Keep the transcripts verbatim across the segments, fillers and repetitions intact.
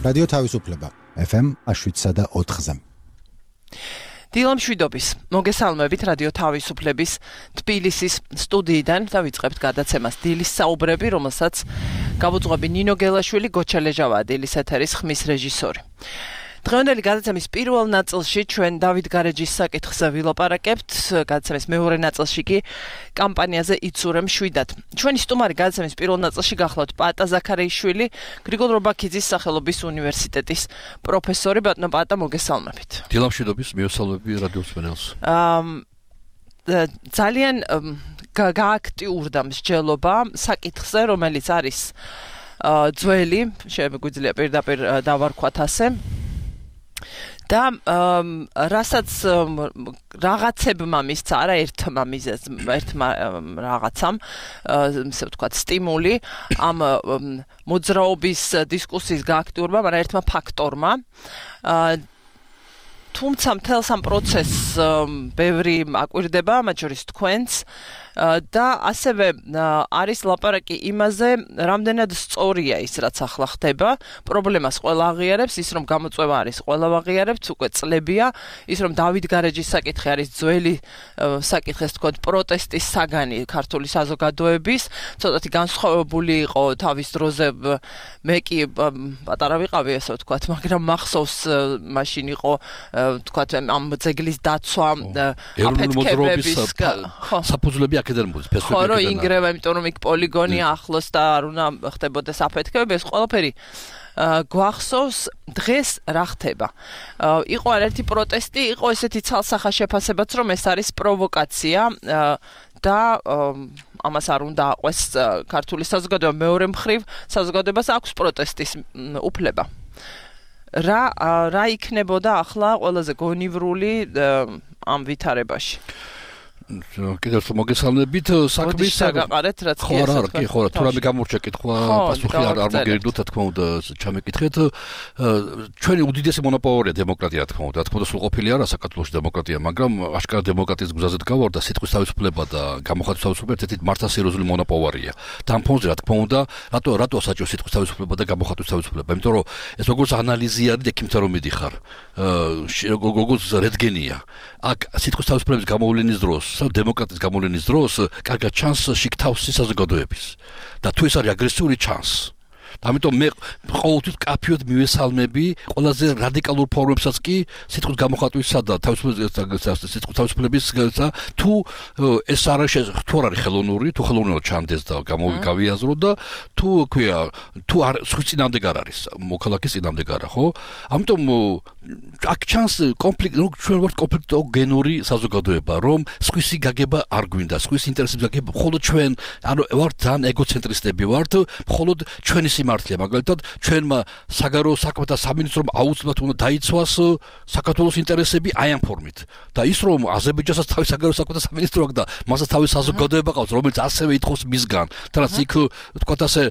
რადიო თავისუფლება ეფ ემ შვიდსა და ოთხზე. დილა მშვიდობის. მოგესალმებით რადიო თავისუფლების თბილისის სტუდიიდან და ვიწყებთ გადაცემას დილის საუბრები, რომელსაც გავუძღვები ნინო გელაშვილი, გოჩა ლეჟავაა დილის ეთერის ხმის რეჟისორი. დღევანდელი გადაცემის პირველ ნაწილში ჩვენ დავით გარეჯის საკითხზე ვილაპარაკებთ, გადაცემის მეორე ნაწილში კი კამპანიაზე იცურემ შვიდად. ჩვენი სტუმარი გადაცემის პირველ ნაწილში გახლავთ პატა ზაქარეიშვილი, გრიგოლ რობაქიძის სახელობის უნივერსიტეტის პროფესორი. ბატონო პატა, მოგესალმებით. დილა მშვიდობის, მიესალმები რადიო მსმენელს. ძალიან გააქტიურდა მსჯელობა საკითხზე, რომელიც არის ძველი, შემეგვიძლია პირდაპირ დავარქვათ ასე. და რასაც რაღაცებმა მისცა, არა ერთმა მიზეზ, ერთმა რაღაცამ, ისე ვთქვათ, სტიმული ამ მოძრაობის დისკუსიის გააქტიურება, მაგრამ ერთმა ფაქტორმა. თუმცა მთელს ამ პროცესს ბევრი აკვირდება, მათ შორის თქვენც, და ასევე არის ლაპარაკი იმაზე, რამდენად სწორია ის, რაც ახლა ხდება. პრობლემას ყველა აღიარებს, ის რომ გამოწვევა არის, ყველა აღიარებს, უკვე წლებია, ის რომ დავით გარეჯის საკითხი არის ძველი საკითხი, ასე ვთქვათ, პროტესტის საგანი ქართული საზოგადოების, ცოტათი განსხვავებული იყო თავის დროზე, მე კი პატარა ვიყავი, ასე ვთქვათ, მაგრამ მახსოვს მაშინ იყო, ვთქვათ, ამ ძეგლის დაცვა, აფეთქებების საფუძვლები აქედან მოდის, ფესვები ხო, რომ ინგრევა, იმიტომ რომ იქ პოლიგონი ახლოს და არ უნდა ხდებოდეს აფეთქებები, ეს ყველაფერი გვახსოვს. დღეს რა ხდება? იყო ერთი პროტესტი, იყო ესეთი ცალსახა შეფასებაც, რომ ეს არის პროვოკაცია და ამას არ უნდა აყვეს ქართული საზოგადოება. მეორე მხრივ, საზოგადოებას აქვს პროტესტის უფლება. რა რა იქნებოდა ახლა ყველაზე გონივრული ამ ვითარებაში? კიდევ მოგესალმებით საქმის საგაყარეთ, რაც კი არა, კი ხო, თუ რამე გამორჩა კითხვა, პასუხი არ არ მოგერიდოთ, რა თქმა უნდა, ჩამეკითხეთ. ჩვენი უდიდესი მონოპოლია დემოკრატია, რა თქმა უნდა, რა თქმა უნდა, სრულყოფილი არა საქართველოში დემოკრატია, მაგრამ აშკარად დემოკრატიის გზაზე დგავარ და სიტყვის თავისუფლება და გამოხატვის თავისუფლება ერთ-ერთი მართლასერიოზული მონოპოლია. და ამ ფონზე, რა თქმა უნდა, რატო რატო საჭირო სიტყვის თავისუფლება და გამოხატვის თავისუფლება? იმიტომ რომ ეს როგორც ანალიზი არის, ექიმთან რომ მიდიხარ, როგორც რენტგენია. აქ სიტყვის თავისუფლების გამოვლენის დროს დემოკრატიის გამოვლენის დროს კარგად ჩანს შიგთავსი საზოგადოების და თუ ეს არის აგრესიული ჩანს. ამიტომ მე ყოველთვის კაფიოდ მივესალმები ყველაზე რადიკალურ ფორმებსაც კი სიტყვის გამოხატვისა და სიტყვის თავისუფლების თუ ეს არ არის თუ არ არის ხელოვნური, თუ ხელოვნურად ჩანდეს და გამოვიგავიაზრო და თუ ქვია თუ არ სხვის წინამდე არ არის, მოქალაქის წინამდე არა, ხო? ამიტომ აქ ჩანს კონფლიქტი, რომ ჩვენ ვართ კონფლიქტოგენური საზოგადოება, რომ სხვისი გაგება არ გვინდა, სხვის ინტერესებს გაგება, მხოლოდ ჩვენ ანუ ვართ ძალიან ეგოცენტრისტები ვართ, მხოლოდ ჩვენი მართლია, მაგალითად, ჩვენმა საგარეო საქმეთა სამინისტრომ აუცილებლად უნდა დაიცვას საქართველოს ინტერესები აი ამ ფორმით. და ის რომ აზერბაიჯანსაც თავის საგარეო საქმეთა სამინისტრო აქვს და მასაც თავის საზოგადოება ყავს, რომელიც ასევე ითხოვს მისგან, თუნდაც იქ თქვათ ასე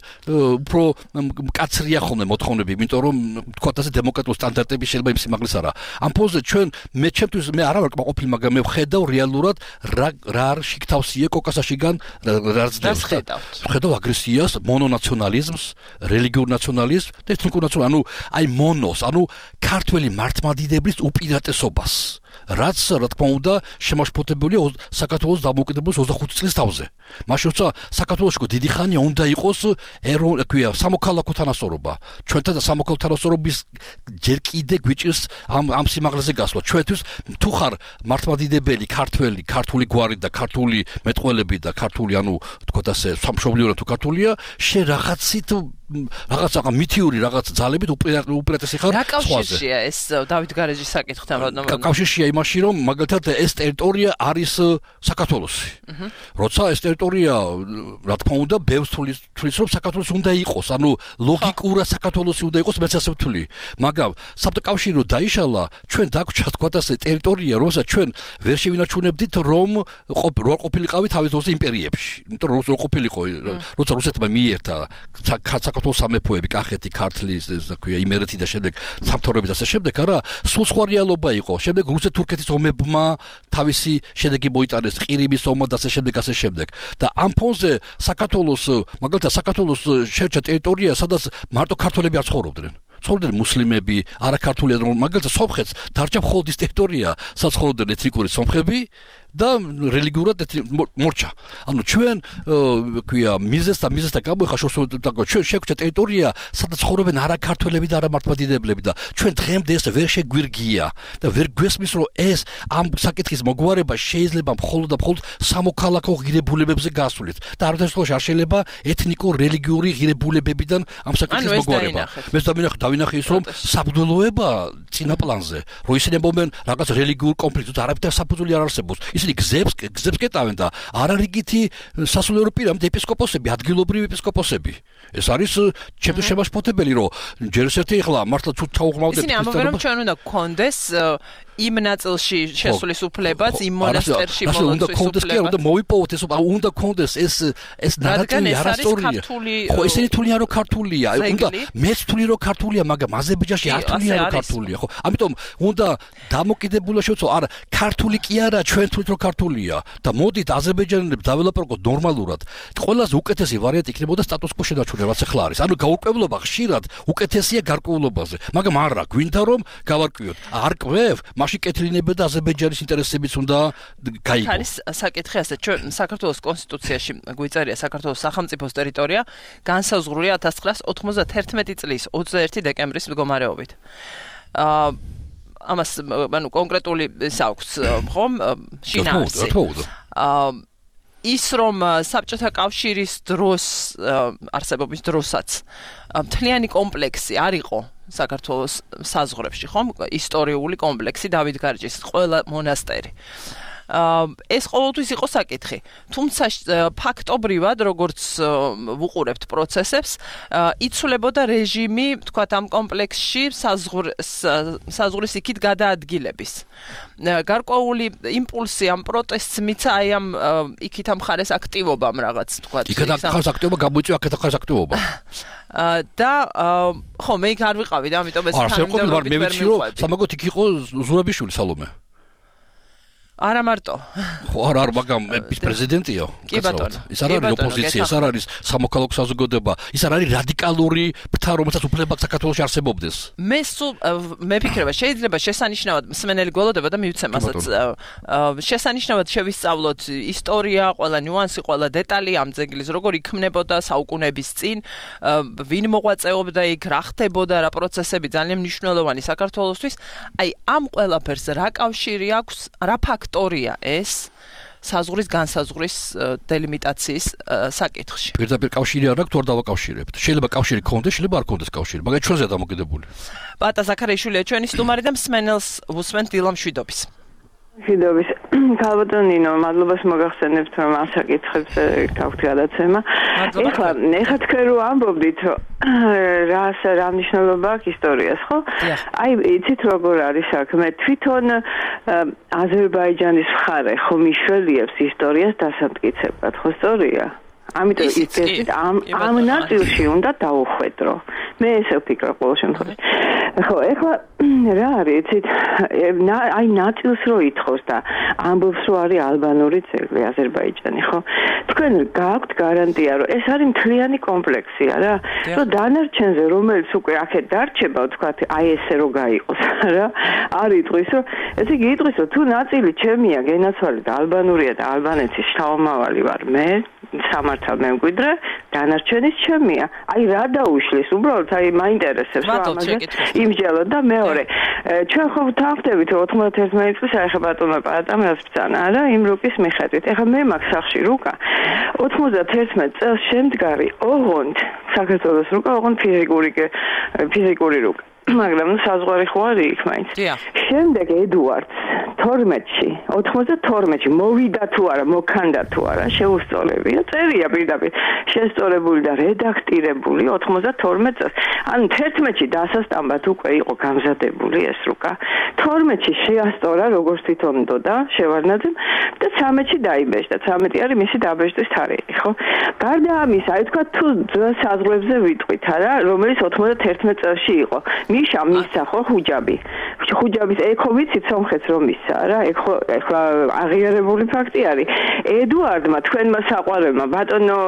უფრო მკაცრია ხოლმე მოთხოვნები, იმიტომ რომ თქვათ ასე დემოკრატიული სტანდარტები შეიძლება იმ სიმაღლეს არა. ამ ფონზე ჩვენ მე ჩემთვის მე არა ვარ კმაყოფილი, მაგრამ მე ვხედავ რეალურად რა რა არის შიგთავსია კოკასაშიგან რა ძდებს. ვხედავ აგრესიას, მონონაციონალიზმს, რელიგიურ ნაციონალიზმს და ეთნიკურ ნაციონალიზმს, ანუ აი მონოს, ანუ ქართველი მართლმადიდებლების უპირატესობას, რაც რა თქმა უნდა შემაშფოთებულია საქართველოს დამოუკიდებლობის ოცდახუთი წლის თავზე. მაშინ როცა საქართველოში დიდი ხანია უნდა იყოს ეროვნული, ქვია, სამოქალაქო თანასწორობა. ჩვენთან და სამოქალაქო თანასწორობის ჯერ კიდე გვიჭირს ამ ამ სიმაღლეზე გასვლა. ჩვენთვის თუ ხარ მართლმადიდებელი ქართველი, ქართული გვარი და ქართული მეტყველები და ქართული, ანუ თქვათ ასე, სამშობლიო თუ ქართულია, შე რაღაცით რაღაც რაღაც მითიური რაღაც ძალებით უპირატესი ხარ სხვაზე. რა კავშირშია ეს დავით გარეჯის საკითხთან? კავშირშია იმაში, რომ მაგალითად ეს ტერიტორია არის საქართველოსი. როცა ეს ტერიტორია, რა თქმა უნდა, ბევრს თulis რომ საქართველოსი უნდა იყოს, ანუ ლოგიკურად საქართველოსი უნდა იყოს, მეც ასე ვთვლი. მაგრამ საბჭოთა კავშირი რო დაიშალა, ჩვენ დაგვრჩა თქვათ ასე ტერიტორია, რომელსაც ჩვენ ვერ შევინარჩუნებდით, რომ რო ყოფილიყავი თავის დროზე იმპერიებში. იმიტომ რომ რო ყოფილიყო, როცა რუსეთმა მიიერთა საქართველოს სამეფოები, კახეთი, ქართლი, ასე ქვია, იმერეთი და შემდეგ სამთავროები და ასე შემდეგ, არა, სულ სხვა რეალობა იყო. შემდეგ რუსეთ-თურქეთის ომებმა თავისი შედეგი მოიტანეს, ყირიმის ომმა და ასე შემდეგ, ასე შემდეგ. და ამ ფონზე საქართველოს, მაგალითად, საქართველოს შეერჩა ტერიტორია, სადაც მარტო ქართველები არ ცხოვრობდნენ. ცხოვრობდნენ მუსლიმები, არაქართული ეროვნული, მაგალითად სომხეთს დარჩა მხოლოდ ის ტერიტორია, სადაც ცხოვრობდნენ ეთნიკური სომხები და რელიგიურად მორჩა. ანუ ჩვენ ქვია მიზეს და მიზეს და გამოიხა შორს ჩვენ შეგვჭა ტერიტორია, სადაც ცხოვრობენ არაქართველები და არამართლმადიდებლები და ჩვენ დღემდე ეს ვერ შეგვირგია და ვერ გვესმის რომ ეს ამ საკითხის მოგვარება შეიძლება მხოლოდ და მხოლოდ სამოქალაქო ღირებულებებზე გასულით და არასდროს არ შეიძლება ეთნიკურ რელიგიური ღირებულებებიდან ამ საკითხის მოგვარება. მე დავინახე ის რომ საბრძოლოება წინა პლანზე, რომ ისინი მომენ რაღაც რელიგიურ კონფლიქტს არაფერი საფუძველი არ არსებობს. ისინი გზებს გზებს კეტავენ და არარიგითი სასულიერო პირამდი ეპისკოპოსები, ადგილობრივი ეპისკოპოსები. ეს არის ჩემთვის შემაშფოთებელი, რომ ჯერ ერთი ახლა მართლა თუ ჩაუღმავდეთ ისინი ამბობენ რომ ჩვენ უნდა გქონდეს იმ ნაწილში შესulis უფლებაც, იმ მონასტერში მოლოცვის უფლებაც. უნდა მოვიპოვოთ ეს, უნდა გქონდეს ეს ეს ნარატივი არასწორია. ხო, ისინი თვლიან რომ ქართულია, უნდა მეც თვლი რომ ქართულია, მაგრამ აზერბაიჯანში არ თვლიან რომ ქართულია, ხო? ამიტომ უნდა დამოკიდებულა შევცვალო, არა, ქართული კი არა, ჩვენ თვლით რომ ქართულია და მოდით აზერბაიჯანელებს დაველაპარაკოთ ნორმალურად. ყველაზე უკეთესი ვარიანტი იქნებოდა სტატუს-კვო შენარჩუნება, რაც ახლა არის. ანუ გაურკვევლობა ხშირად უკეთესია გარკვეულობაზე, მაგრამ არა, გვინდა რომ გავარკვიოთ. არ კვევ, მაშინ კეთილინებდა და აზერბაიჯანის ინტერესებიც უნდა გაიგო. არის საკითხი ასე, ჩვენ საქართველოს კონსტიტუციაში გვიწერია საქართველოს სახელმწიფოს ტერიტორია განსაზღვრულია ათას ცხრაასი ოთხმოცდაათერთმეტი წლის ოცდაერთი დეკემბრის მდგომარეობით. აა ამას ანუ კონკრეტული ის აქვს ხომ შინაარსი. აა ის რომ საბჭოთა კავშირის დროს არსებობის დროსაც მთლიანი კომპლექსი არ იყო საქართველოს საზღვრებში, ხომ? ისტორიული კომპლექსი დავით გარჯის ყველა მონასტერი. ეს ყოველთვის იყო საკითხი. თუმცა ფაქტობრივად, როგორც ვუყურებთ პროცესებს, იცვლებოდა რეჟიმი, თქვათ, ამ კომპლექსში საზღვრის იქით გადაადგილების. გარკვეული იმპულსი ამ პროტესტს მიცა აი ამ იქით ამ ხარეს აქტივობამ რაღაც, თქვათ. იქით ხარეს აქტივობა გამოიწვია, აქეთ ხარეს აქტივობა. და ხო, მე იქ არ ვიყავი და ამიტომ ეს თანამდებობები მე ვიცი რომ სამაგოთ იქ იყო ზურაბიშვილი სალომე. არა მარტო. ხო, არა, არა, მაგრამ პრეზიდენტია. კი ბატონო. ის არ არის ოპოზიცია, ეს არ არის სამოქალაქო საზოგადოება, ის არ არის რადიკალური ფრთა, რომელსაც უფლება საქართველოში არსებობდეს. მე სულ მე ფიქრება, შეიძლება შესანიშნავად მსმენელი გველოდება და მივცემ ასაც. შესანიშნავად შევისწავლოთ ისტორია, ყველა ნიუანსი, ყველა დეტალი ამ ძეგლის, როგორ იქმნებოდა საუკუნეების წინ, ვინ მოღვაწეობდა იქ, რა ხდებოდა, რა პროცესები ძალიან მნიშვნელოვანი საქართველოსთვის. აი, ამ ყველაფერს რა კავშირი აქვს, რა ფაქტი ისტორია ეს საზღვრის განსაზღვრის დელიმიტაციის საკითხში. პირდაპირ კავშირი არ აქვს, თუ არ დავაკავშირებთ. შეიძლება კავშირი ქონდეს, შეიძლება არ ქონდეს კავშირი, მაგრამ ჩვენზეა დამოკიდებული. პატა ზაქარიაშვილია ჩვენი სტუმარი და მსმენელს უსმენთ დილა მშვიდობის. მშვიდობის. ქალბატონინო, მადლობას მოგახსენებთ, რომ ამ საკითხებს გაქვთ გადაცემა. ეხლა, ეხლა თქვენ რო ამბობდით, რომ რა რა მნიშვნელობა აქვს ისტორიას, ხო? აი, იცით როგორ არის საქმე? თვითონ აზერბაიჯანის მხარე ხო მიშველიებს ისტორიას დასამტკიცებლად, ხო სწორია? ამიტომ ისეთ ამ ამ ნაწილში უნდა დაუხვედრო. მე ესე ვფიქრობ ყოველ შემთხვევაში. ხო, ეხლა რა არის, იცით, აი ნაწილს რო ითხოვს და ამბობს რომ არის ალბანური ძეგლი აზერბაიჯანი, ხო? თქვენ გააქვთ გარანტია, რომ ეს არის მთლიანი კომპლექსია რა, რომ დანარჩენზე რომელიც უკვე აქეთ დარჩება, ვთქვათ, აი ესე რო გაიყოს რა, არ იტყვის, რომ ესე იგი იტყვის, რომ თუ ნაწილი ჩემია, გენაცვალე და ალბანურია და ალბანეთის შთამომავალი ვარ მე, სამართალ მემკვიდრე, დანარჩენის ჩემია. აი რა დაუშლის, უბრალოდ აი მაინტერესებს რა ამაზე იმჯელო და მეორე. ჩვენ ხო ვთანხმდებით რომ ოთხმოცდაათერთმეტი წლის აი ხა ბატონმა პატამას ბრძანა რა იმ რუკის მიხედვით. ეხლა მე მაქვს სახში რუკა ოთხმოცდაათერთმეტი წელს შემდგარი ოღონდ საქართველოს რუკა, ოღონდ ფიზიკური ფიზიკური რუკა. მაგრამ საზღვარი ხო არის იქ მაინც. შემდეგ ედუარდს თორმეტში, ოთხმოცდათორმეტში მოვიდა თუ არა, მოქანდა თუ არა, შეუსწავლები და წერია პირდაპირ შესწორებული და რედაქტირებული ოთხმოცდათორმეტ წელს. ანუ თერთმეტში დასასტამბად უკვე იყო გამზადებული ეს რუკა. თორმეტში შეასწორა როგორც თვითონ დოდა შევარდნაძემ და ცამეტში დაიბეჭდა. ცამეტი არის მისი დაბეჭდის თარიღი, ხო? გარდა ამისა, აი თქვა თუ საზღვრებზე ვიტყვით არა, რომელიც ოთხმოცდათერთმეტ წელში იყო. ნიშა მისცა ხო ხუჯაბი. ხუჯაბის ეკო ვიცით სომხეთს რომ მისცა რა, ეხლა ეხლა აღიარებული ფაქტი არის. ედუარდმა თქვენმა საყვარელმა ბატონო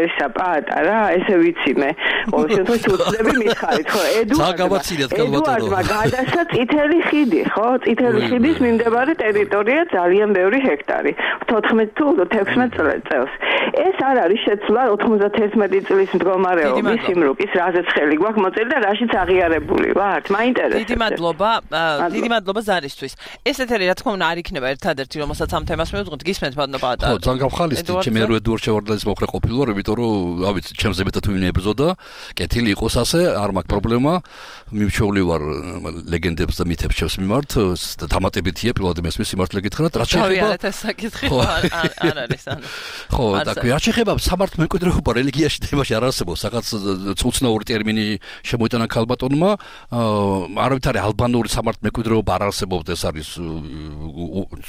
ესა პაატა რა, ესე ვიცი მე. ყოველ შემთხვევაში უცდები მითხარით ხო, ედუარდმა გადასცა წითელი ხიდი ხო, წითელი ხიდის მიმდებარე ტერიტორია ძალიან ბევრი ჰექტარი, თოთხმეტ თუ თექვსმეტ წელს. ეს არ არის შეცვლა ოთხმოცდაერთი წლის მდგომარეობის სიმრუკის, რაზეც ხელი გვაქვს მოწილი და რაშიც აღიარებული ვართ. მაინტერესებს. დიდი მადლობა, დიდი მადლობა ზარისთვის. ეს ეთერი რა თქმა უნდა არ იქნება ერთადერთი, რომელსაც ამ თემას მივუძღოთ. გისმენთ ბატონო პაატა. ხო, ძალიან გავხალისდი, ჩემი ერო ედუარდ შევარდნაძის მოხრე ყოფილვარ, იმიტომ რომ, რა ვიცი, ჩემზე მეტად ვინმე ებრძოდა, კეთილი იყოს ასე, არ მაქვს პრობლემა. მიმჩეული ვარ ლეგენდებს და მითებს შევს მიმართ, დამატებითია პირველად მესმის სიმართლე გითხრათ, რაც შეეხება თავიანთ ეს საკითხი არ არის ანუ. ხო, და რაც შეეხება სამართლმემკვიდრეობა რელიგიაში თემაში არ არსებობს, რაღაც უცნაური ტერმინი შემოიტანა ქალბატონმა, არავითარი ალბანური სამართლმემკვიდრეობა არ არსებობს, ეს არის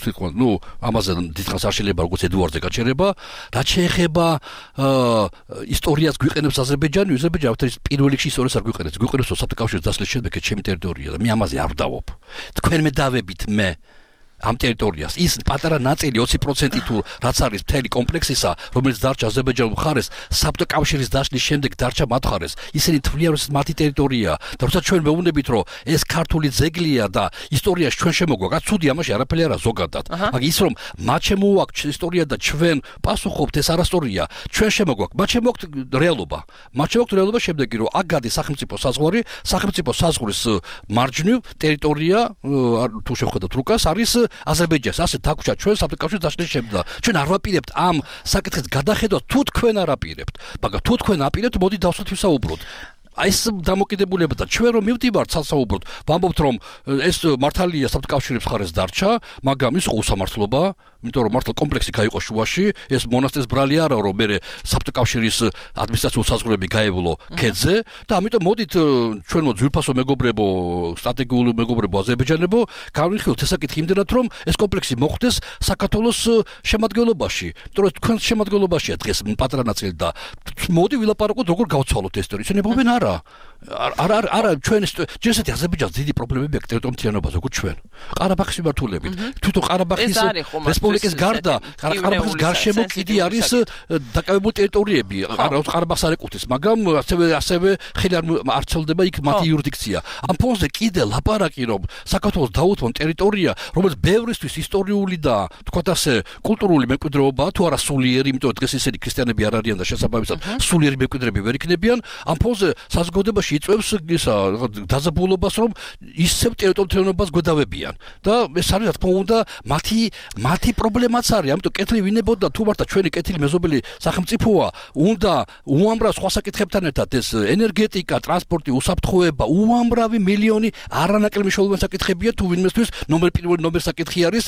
სიტყვა, ნუ ამაზე დიდხანს არ შეიძლება როგორც ედუარდზე გაჩერება, რაც შეეხება ისტორიას გვიყენებს აზერბაიჯანი, აზერბაიჯანი ავთორის პირველ რიგში ისტორიას არ გვიყენებს, გვიყენებს საბჭოთა კავშირის დასლის შემდეგ ჩემი ტერიტორია და მე ამაზე არ ვდავობ. თქვენ მე დავებით მე ამ ტერიტორიას ის პატარა ნაწილი ოცი პროცენტი თუ რაც არის მთელი კომპლექსისა, რომელიც დარჩა აზერბაიჯანულ მხარეს, საბჭოთა კავშირის დაშლის შემდეგ დარჩა მათ მხარეს. ისინი თვლიან, რომ მათი ტერიტორია და როცა ჩვენ მეუბნებით, რომ ეს ქართული ძეგლია და ისტორიაში ჩვენ შემოგვაქვს, ცუდი ამაში არაფერი არა ზოგადად. მაგრამ ის რომ მათ შემოაქვს ისტორია და ჩვენ პასუხობთ ეს არასტორია, ჩვენ შემოგვაქვს, მათ შემოაქვს რეალობა. მათ შემოაქვს რეალობა შემდეგი, რომ აქ გადის სახელმწიფო საზღვარი, სახელმწიფო საზღვრის მარჯვნივ ტერიტორია, თუ შევხედოთ რუკას, არის აზერბაიჯანს ასე დაგვრჩა ჩვენ საბჭოთა კავშირის დაშლის შემდეგ. ჩვენ არ ვაპირებთ ამ საკითხის გადახედვას, თუ თქვენ არ აპირებთ. მაგრამ თუ თქვენ აპირებთ, მოდი დავსვათ ვისაუბროთ. აი ეს დამოკიდებულება და ჩვენ რომ მივდივართ ცალსაუბროდ, ვამბობთ რომ ეს მართალია საბჭოთა კავშირის მხარეს დარჩა, მაგრამ ის უსამართლობა, იმიტომ რომ მართლა კომპლექსი გაიყო შუაში, ეს მონასტრის ბრალი არა რომ მე საბჭოთა კავშირის ადმინისტრაციულ საზღვრები გაევლო ქედზე და ამიტომ მოდით ჩვენ მოძვირფასო მეგობრებო, სტრატეგიული მეგობრებო აზერბაიჯანებო, გავიხილოთ ეს საკითხი იმდენად რომ ეს კომპლექსი მოხვდეს საქართველოს შემადგენლობაში, იმიტომ რომ თქვენ შემადგენლობაშია დღეს პატარა ნაწილი და მოდი ვილაპარაკოთ როგორ გავცვალოთ ეს ტერიტორია. ისინი მოგენ არა არა არა ჩვენ ჯერსეთი აზერბაიჯანს დიდი პრობლემები აქვს ტერიტორიულ მთლიანობას როგორც ჩვენ. ყარაბაღის მიმართულებით. თვითონ ყარაბაღის რესპუბლიკის გარდა ყარაბაღის გარშემო კიდე არის დაკავებული ტერიტორიები. ყარაბაღს არ ეკუთვნის, მაგრამ ასევე ასევე ხელი არ ცელდება იქ მათი იურისდიქცია. ამ ფონზე კიდე ლაპარაკი რომ საქართველოს დაუთმონ ტერიტორია, რომელიც ბევრისთვის ისტორიული და თქვათ ასე კულტურული მემკვიდრეობა თუ არა სულიერი, იმიტომ დღეს ისინი ქრისტიანები არ არიან და შესაბამისად სულიერი მემკვიდრეები ვერ იქნებიან. ამ ფონზე საზოგადოებაში იწვევს ისა დაზაბულობას რომ ისევ ტერიტორიულობას გვედავებიან და ეს არის რა თქმა უნდა მათი მათი პრობლემაც არის. ამიტომ კეთილი ვინებოდა თუ მართლა ჩვენი კეთილი მეზობელი სახელმწიფოა, უნდა უამრავ სხვა საკითხებთან ერთად ეს ენერგეტიკა, ტრანსპორტი, უსაფრთხოება, უამრავი მილიონი არანაკლები მნიშვნელოვანი საკითხებია თუ ვინმესთვის ნომერ პირველი ნომერ საკითხი არის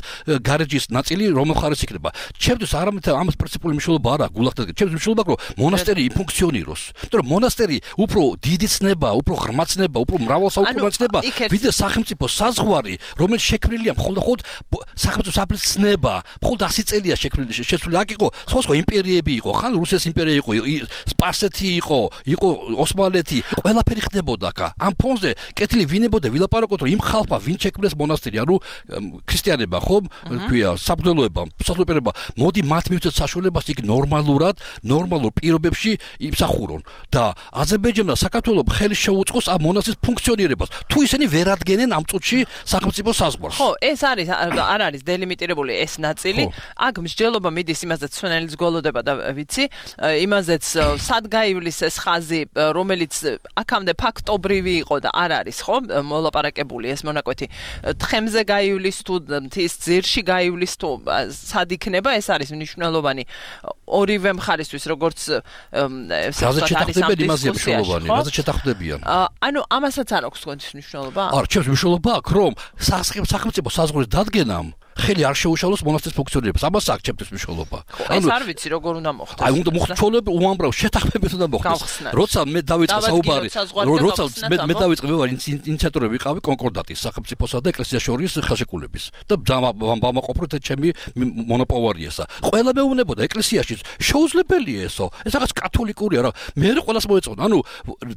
გარეჯის ნაწილი რომელ მხარეს იქნება. ჩემთვის არამედ ამას პრინციპული მნიშვნელობა არა გულახდეთ. ჩემთვის მნიშვნელობა აქვს რომ მონასტერი იფუნქციონიროს. იმიტომ რომ მონასტერი უფრო დიდი ცნება, უფრო ღრმა ცნება, უფრო მრავალსაუკუნოვანი ცნება, ვიდრე სახელმწიფო საზღვარი, რომელიც შექმნილია მხოლოდ სახელმწიფო საფრის ცნება, მხოლოდ ასი წელია შექმნილი, შეცვლილი. აქ იყო სხვა იმპერიები იყო, ხან რუსეთის იმპერია იყო, სპარსეთი იყო, იყო ოსმალეთი, ყველაფერი ხდებოდა აქ. ამ ფონზე კეთილი ვინებოდა ვილაპარაკოთ, რომ იმ ხალხმა ვინ შექმნეს მონასტერი, ანუ ქრისტიანებმა, ხო, ქვია, საბრძოლოება, საზოგადოება, მოდი მათ მივცეთ საშუალებას იქ ნორმალურად, ნორმალურ პირობებში იმსახურონ და აზერბაიჯანმა საქართველოს ხელი შეუწყოს ამ მონასტრის ფუნქციონირებას. თუ ისინი ვერ ადგენენ ამ წუთში სახელმწიფო საზღვარს. ხო, ეს არის არ არის დელიმიტირებული ეს ნაწილი. აქ მსჯელობა მიდის იმაზეც სვენელიც გოლოდება და ვიცი, იმაზეც სად გაივლის ეს ხაზი, რომელიც აქამდე ფაქტობრივი იყო და არ არის, ხო, მოლაპარაკებული ეს მონაკვეთი. თხემზე გაივლის თუ მთის ძირში გაივლის თუ სად იქნება, ეს არის მნიშვნელოვანი ორივე მხარისთვის, როგორც შეთანხმდებიან იმაზეა მნიშვნელოვანი, რაზეც შეთანხმდებიან. ანუ ამასაც არ აქვს თქვენთვის მნიშვნელობა? არა, ჩემს მნიშვნელობა აქვს, რომ სახელმწიფო საზღვრის დადგენამ ხელი არ შეუშალოს მონასტრის ფუნქციონირებას. ამას აქვს ჩემთვის მნიშვნელობა. ეს არ ვიცი როგორ უნდა მოხდეს. აი უნდა მოხდეს ჩვეულებრივ უამრავ შეთანხმებით უნდა მოხდეს. როცა მე დავიწყე საუბარი, როცა მე მე დავიწყე მე ვარ ინიციატორი ვიყავი კონკორდატის სახელმწიფოსა და ეკლესიას შორის ხელშეკრულების და ვამაყოფროთ ჩემი მონოპოვარიესა. ყველა მეუბნებოდა ეკლესიაში შეუძლებელია ესო. ეს რაღაც კათოლიკურია რა. მე ყველას მოეწონა. ანუ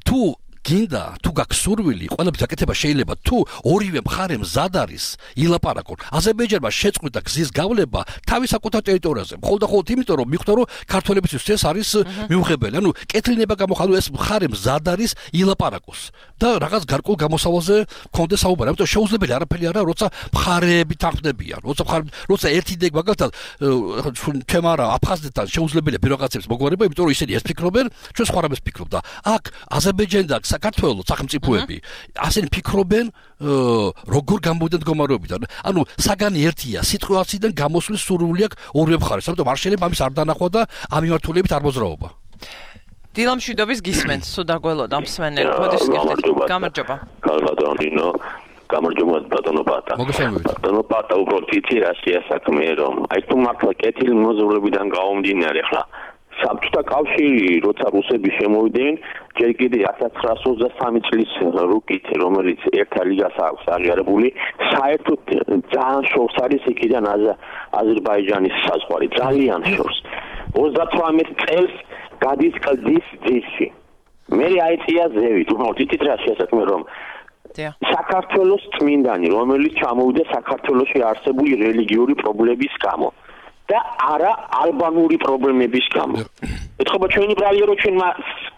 თუ გინდა თუ გაქვს სურვილი, ყველაფერს აკეთება შეიძლება თუ ორივე მხარე მზად არის ილაპარაკონ. აზერბაიჯანმა შეწყვიტა გზის გავლება თავის საკუთარ ტერიტორიაზე. მხოლოდ და მხოლოდ იმიტომ რომ მიხვდა რომ ქართველებისთვის ეს არის მიუღებელი. ანუ კეთლინება გამოხალო ეს მხარე მზად არის ილაპარაკოს და რაღაც გარკვეულ გამოსავალზე კონდეს საუბარი. ამიტომ შეუძლებელი არაფერი არა, როცა მხარეები თანხმდებიან. როცა მხარე როცა ერთი იდეა მაგალითად თემა არა აფხაზეთთან შეუძლებელია ბიროკრატიების მოგვარება, იმიტომ რომ ისინი ეს ფიქრობენ, ჩვენ სხვა რამეს ვფიქრობ და აქ აზერბაიჯანი და საქართველოს სახელმწიფოები ასენი ფიქრობენ როგორ გამოვიდნენ მდგომარეობიდან. ანუ საგანი ერთია, სიტუაციიდან გამოსვლის სურვილი აქვს ორივე მხარეს. ამიტომ არ შეიძლება ამის არ დანახვა და ამ მიმართულებით არ მოძრაობა. დილამ შვიდობის გისმენთ, სულ დაგველოდა მსმენელი. მოდი ვსკერდეთ. გამარჯობა. გამარჯობა. გამარჯობა ბატონო პატა. ბატონო პატა უბრალოდ იცი რა შეასაქმე რომ აი თუ მართლა კეთილი მოზრულებიდან გამომდინარე ხლა საბჭოთა კავშირი როცა რუსები შემოვიდნენ ჯერ კიდე ათას ცხრაასი ოცდასამი წლის რუკით რომელიც ერთა ლიგას აქვს აღიარებული საერთოდ ძალიან შორს არის იქიდან აზერბაიჯანის საზღვარი ძალიან შორს ოცდათვრამეტ წელს გადის კლდის ძირში მე აიწია ზევით უბრალოდ იცით რა შეასაქმე რომ საქართველოს წმინდანი რომელიც ჩამოვიდა საქართველოში არსებული რელიგიური პრობლემების გამო და არა ალბანური პრობლემების გამო. ეთქობა ჩვენი ბრალია რომ ჩვენმა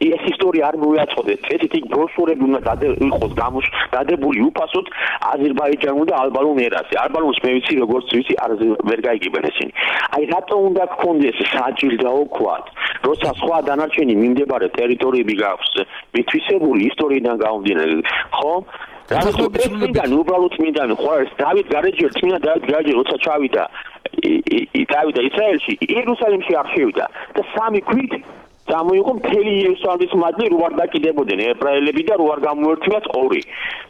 ეს ისტორია არ მოიაწყდეს. წესით იქ ბროშურები უნდა იყოს გადებული უფასოდ აზერბაიჯანულ და ალბანურ ერაზე. ალბანურს მე ვიცი როგორც ვიცი არ ვერ გაიგებენ ესენი. აი რატო უნდა გქონდეს საჭირდაო ქვათ, როცა სხვა დანარჩენი მიმდებარე ტერიტორიები გაქვს მითვისებული ისტორიიდან გამომდინარე, ხო? და უბრალოდ მინდანი ხო არის დავით გარეჯელი, წმინდა დავით გარეჯელი როცა ჩავიდა დავიდა ისრაელში, იერუსალიმში არ შევიდა და სამი ქვით გამოიყო მთელი იერუსალიმის მადლი რო არ დაკიდებოდნენ ებრაელები და რო არ გამოერთვიათ ორი.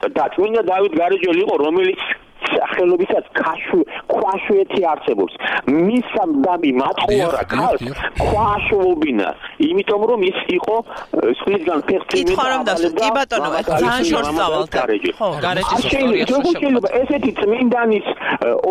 და წმინდა დავით გარეჯელი იყო რომელიც სახელობისაც ქაშვი ქვაშვეთი არსებობს. მის სამდამი მათხოვარა ქალს ქვაშვობინა, იმიტომ რომ ის იყო სხვისგან ფეხწინი და კი ბატონო, ძალიან შორს წავალთ. ხო, გარეჯის ისტორია შეიძლება ესეთი წმინდანის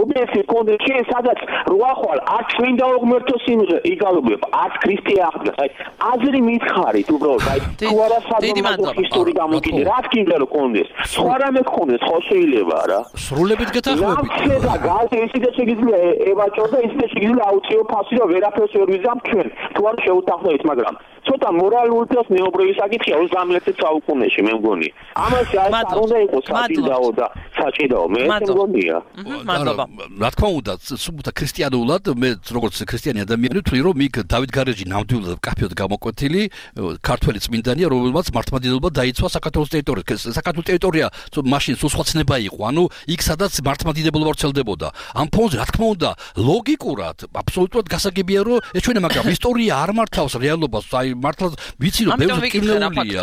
ობიექტი კონდეს შენ სადაც როახვალ არც წმინდა უღმერთო სიმღერა იგალობებ, არც ქრისტე აღდგა. აი აზრი მითხარით უბრალოდ, აი თუ არა სადღაც ისტორია გამოგიდე, რა გინდა რომ კონდეს. სხვა რამე კონდეს, ხო შეიძლება რა. სრულებით გეთახმებით. და გალზე ისიც შეიძლება ევაჭოს და ისიც შეიძლება აუწიო ფასი და ვერაფერს ვერ ვიზამ ჩვენ. თუ არ შეუტახდებით, მაგრამ ცოტა მორალური და მეუბრელი საკითხია ოცდამეერთე საუკუნეში მე მგონი. ამაში არ უნდა იყოს საჭიდაო და საჭიდაო მე მგონია. მადლობა. რა თქმა უნდა, სუბუთა ქრისტიანულად მე როგორც ქრისტიანი ადამიანი ვთვლი რომ იქ დავით გარეჯი ნამდვილად კაფეოდ გამოკვეთილი ქართველი წმინდანია, რომელმაც მართლმადიდებლობა დაიცვა საქართველოს ტერიტორიაზე. საქართველოს ტერიტორია მაშინ სულ სხვა ცნება იყო. ანუ იქ სადაც მართლმადიდებლობა ვრცელდებოდა. ამ ფონზე რა თქმა უნდა, ლოგიკურად, აბსოლუტურად გასაგებია რომ ეს ჩვენი მაგრამ ისტორია არ მართავს რეალობას. აი მართლა ვიცი რომ ბევრი კინოულია.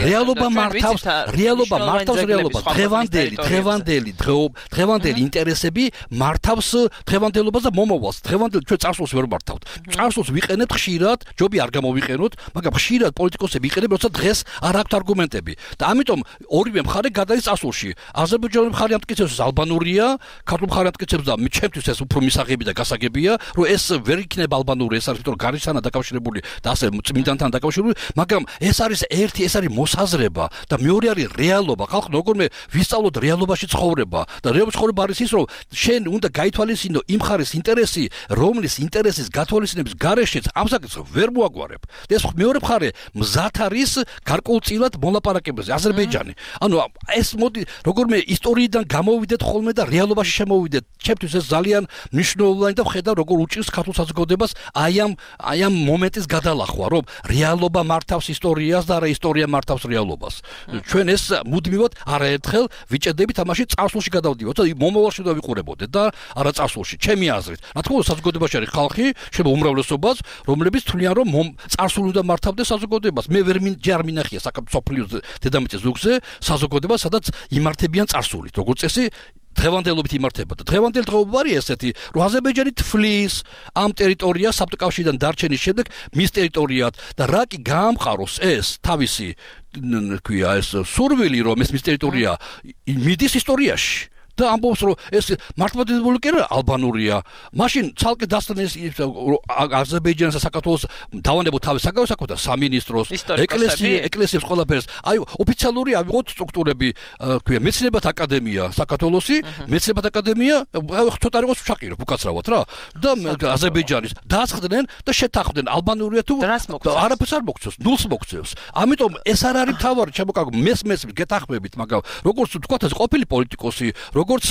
რეალობა მართავს, რეალობა მართავს რეალობას. დღევანდელი, დღევანდელი, დღევანდელი ინტერესები მართავს დღევანდელობას და მომავალს. დღევანდელ ჩვენ წარსულს ვერ მართავთ. წარსულს ვიყენებთ ხშირად, ჯობი არ გამოვიყენოთ, მაგრამ ხშირად პოლიტიკოსები იყენებენ, როცა დღეს არ აქვთ არგუმენტები. და ამიტომ ორივე მხარე გადადის წარსულში. აზერბაიჯანის მხარე ამტკიცებს ალბანურია, ქართულ მხარე ამტკიცებს და ჩემთვის ეს უფრო მისაღები და გასაგებია, რომ ეს ვერ იქნება ალბანური, ეს არის თორე გარისთან დაკავშირებული და ასე წმინდანთან დაკავშირებული, მაგრამ ეს არის ერთი, ეს არის მოსაზრება და მეორე არის რეალობა. ხალხი როგორმე ვისწავლოთ რეალობაში ცხოვრება და რეალობაში ცხოვრება არის ის, რომ შენ უნდა გაითვალისწინო იმ მხარის ინტერესი, რომლის ინტერესის გათვალისწინების გარეშეც ამ საკითხს ვერ მოაგვარებ. და ეს მეორე მხარე მზად არის გარკვეულწილად მოლაპარაკებაზე აზერბაიჯანი. ანუ ეს მოდი როგორმე ისტორიიდან გამოვიდეთ ხოლმე და რეალობაში შემოვიდეთ. ჩემთვის ეს ძალიან მნიშვნელოვანი და ვხედავ როგორ უჭირს ქართულ საზოგადოებას აი ამ აი ამ მომენტის გადალახვა, რომ რეალობა მართავს ისტორიას და არა ისტორია მართავს რეალობას. ჩვენ ეს მუდმივად არაერთხელ ვიჭედებით ამაში წარსულში გადავდივართ და მომავალში უნდა ვიყურებოდეთ და არა წარსულში. ჩემი აზრით. რა თქმა უნდა საზოგადოებაში არის ხალხი, შეიძლება უმრავლესობაც, რომლებიც თვლიან რომ წარსული უნდა მართავდეს საზოგადოებას. მე ვერ ჯერ მინახია საქართველოს დედამიწის ზუგზე საზოგადოება, სადაც იმართებიან წარსულით. როგორც წესი დღევანდელობით იმართებოდა. დღევანდელი დღეობა არის ესეთი, რომ აზერბაიჯანი თვლის ამ ტერიტორიას საბჭოთა კავშირიდან დარჩენის შემდეგ მის ტერიტორიად და რა კი გაამყაროს ეს თავისი ქვია ეს სურვილი რომ ეს მის ტერიტორია მიდის ისტორიაში. და ამბობს რომ ეს მართლმადიდებლური კი არა ალბანურია. მაშინ ცალკე დასწრეს აზერბაიჯანის და საქართველოს დავანებოთ თავის საგავსაკო და სამინისტროს, ეკლესია, ეკლესიებს ყველაფერს. აი ოფიციალური ავიღოთ სტრუქტურები, ქვია მეცნიერებათა აკადემია საქართველოსი, მეცნიერებათა აკადემია, ცოტა იყოს ვშაყირებ უკაცრავად რა. და აზერბაიჯანის დაასხდნენ და შეთანხმდნენ ალბანურია თუ არაფერს არ მოგწევს, ნულს მოგწევს. ამიტომ ეს არ არის თავარი, შემოკაგო მესმეს გეთანხმებით, მაგრამ როგორც თქვათ ეს ყოფილი პოლიტიკოსი, როგორც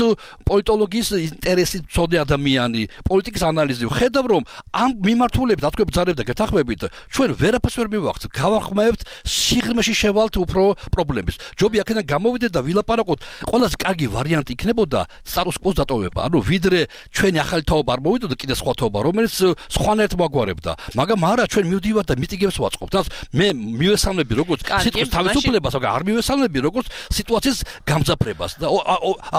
პოლიტოლოგიის ინტერესი მცოდნე ადამიანი, პოლიტიკის ანალიზი ხედავ რომ ამ მიმართულებით თქვენ ბრძანებთ და გეთანხმებით, ჩვენ ვერაფერს ვერ მივახცევთ, გავახმევთ სიღრმეში შევალთ უფრო პრობლემებს. ჯობი აქედან გამოვიდეთ და ვილაპარაკოთ, ყველაზე კარგი ვარიანტი იქნებოდა status quo-ს დატოვება. ანუ ვიდრე ჩვენი ახალი თაობა არ მოვიდოდა კიდე სხვა თაობა, რომელიც სხვანაირად მოაგვარებდა. მაგრამ არა ჩვენ მივდივართ და მიტინგებს ვაწყობთ. თავს მე მივესალმები როგორც სიტყვის თავისუფლებას, მაგრამ არ მივესალმები როგორც სიტუაციის გამძაფრებას. და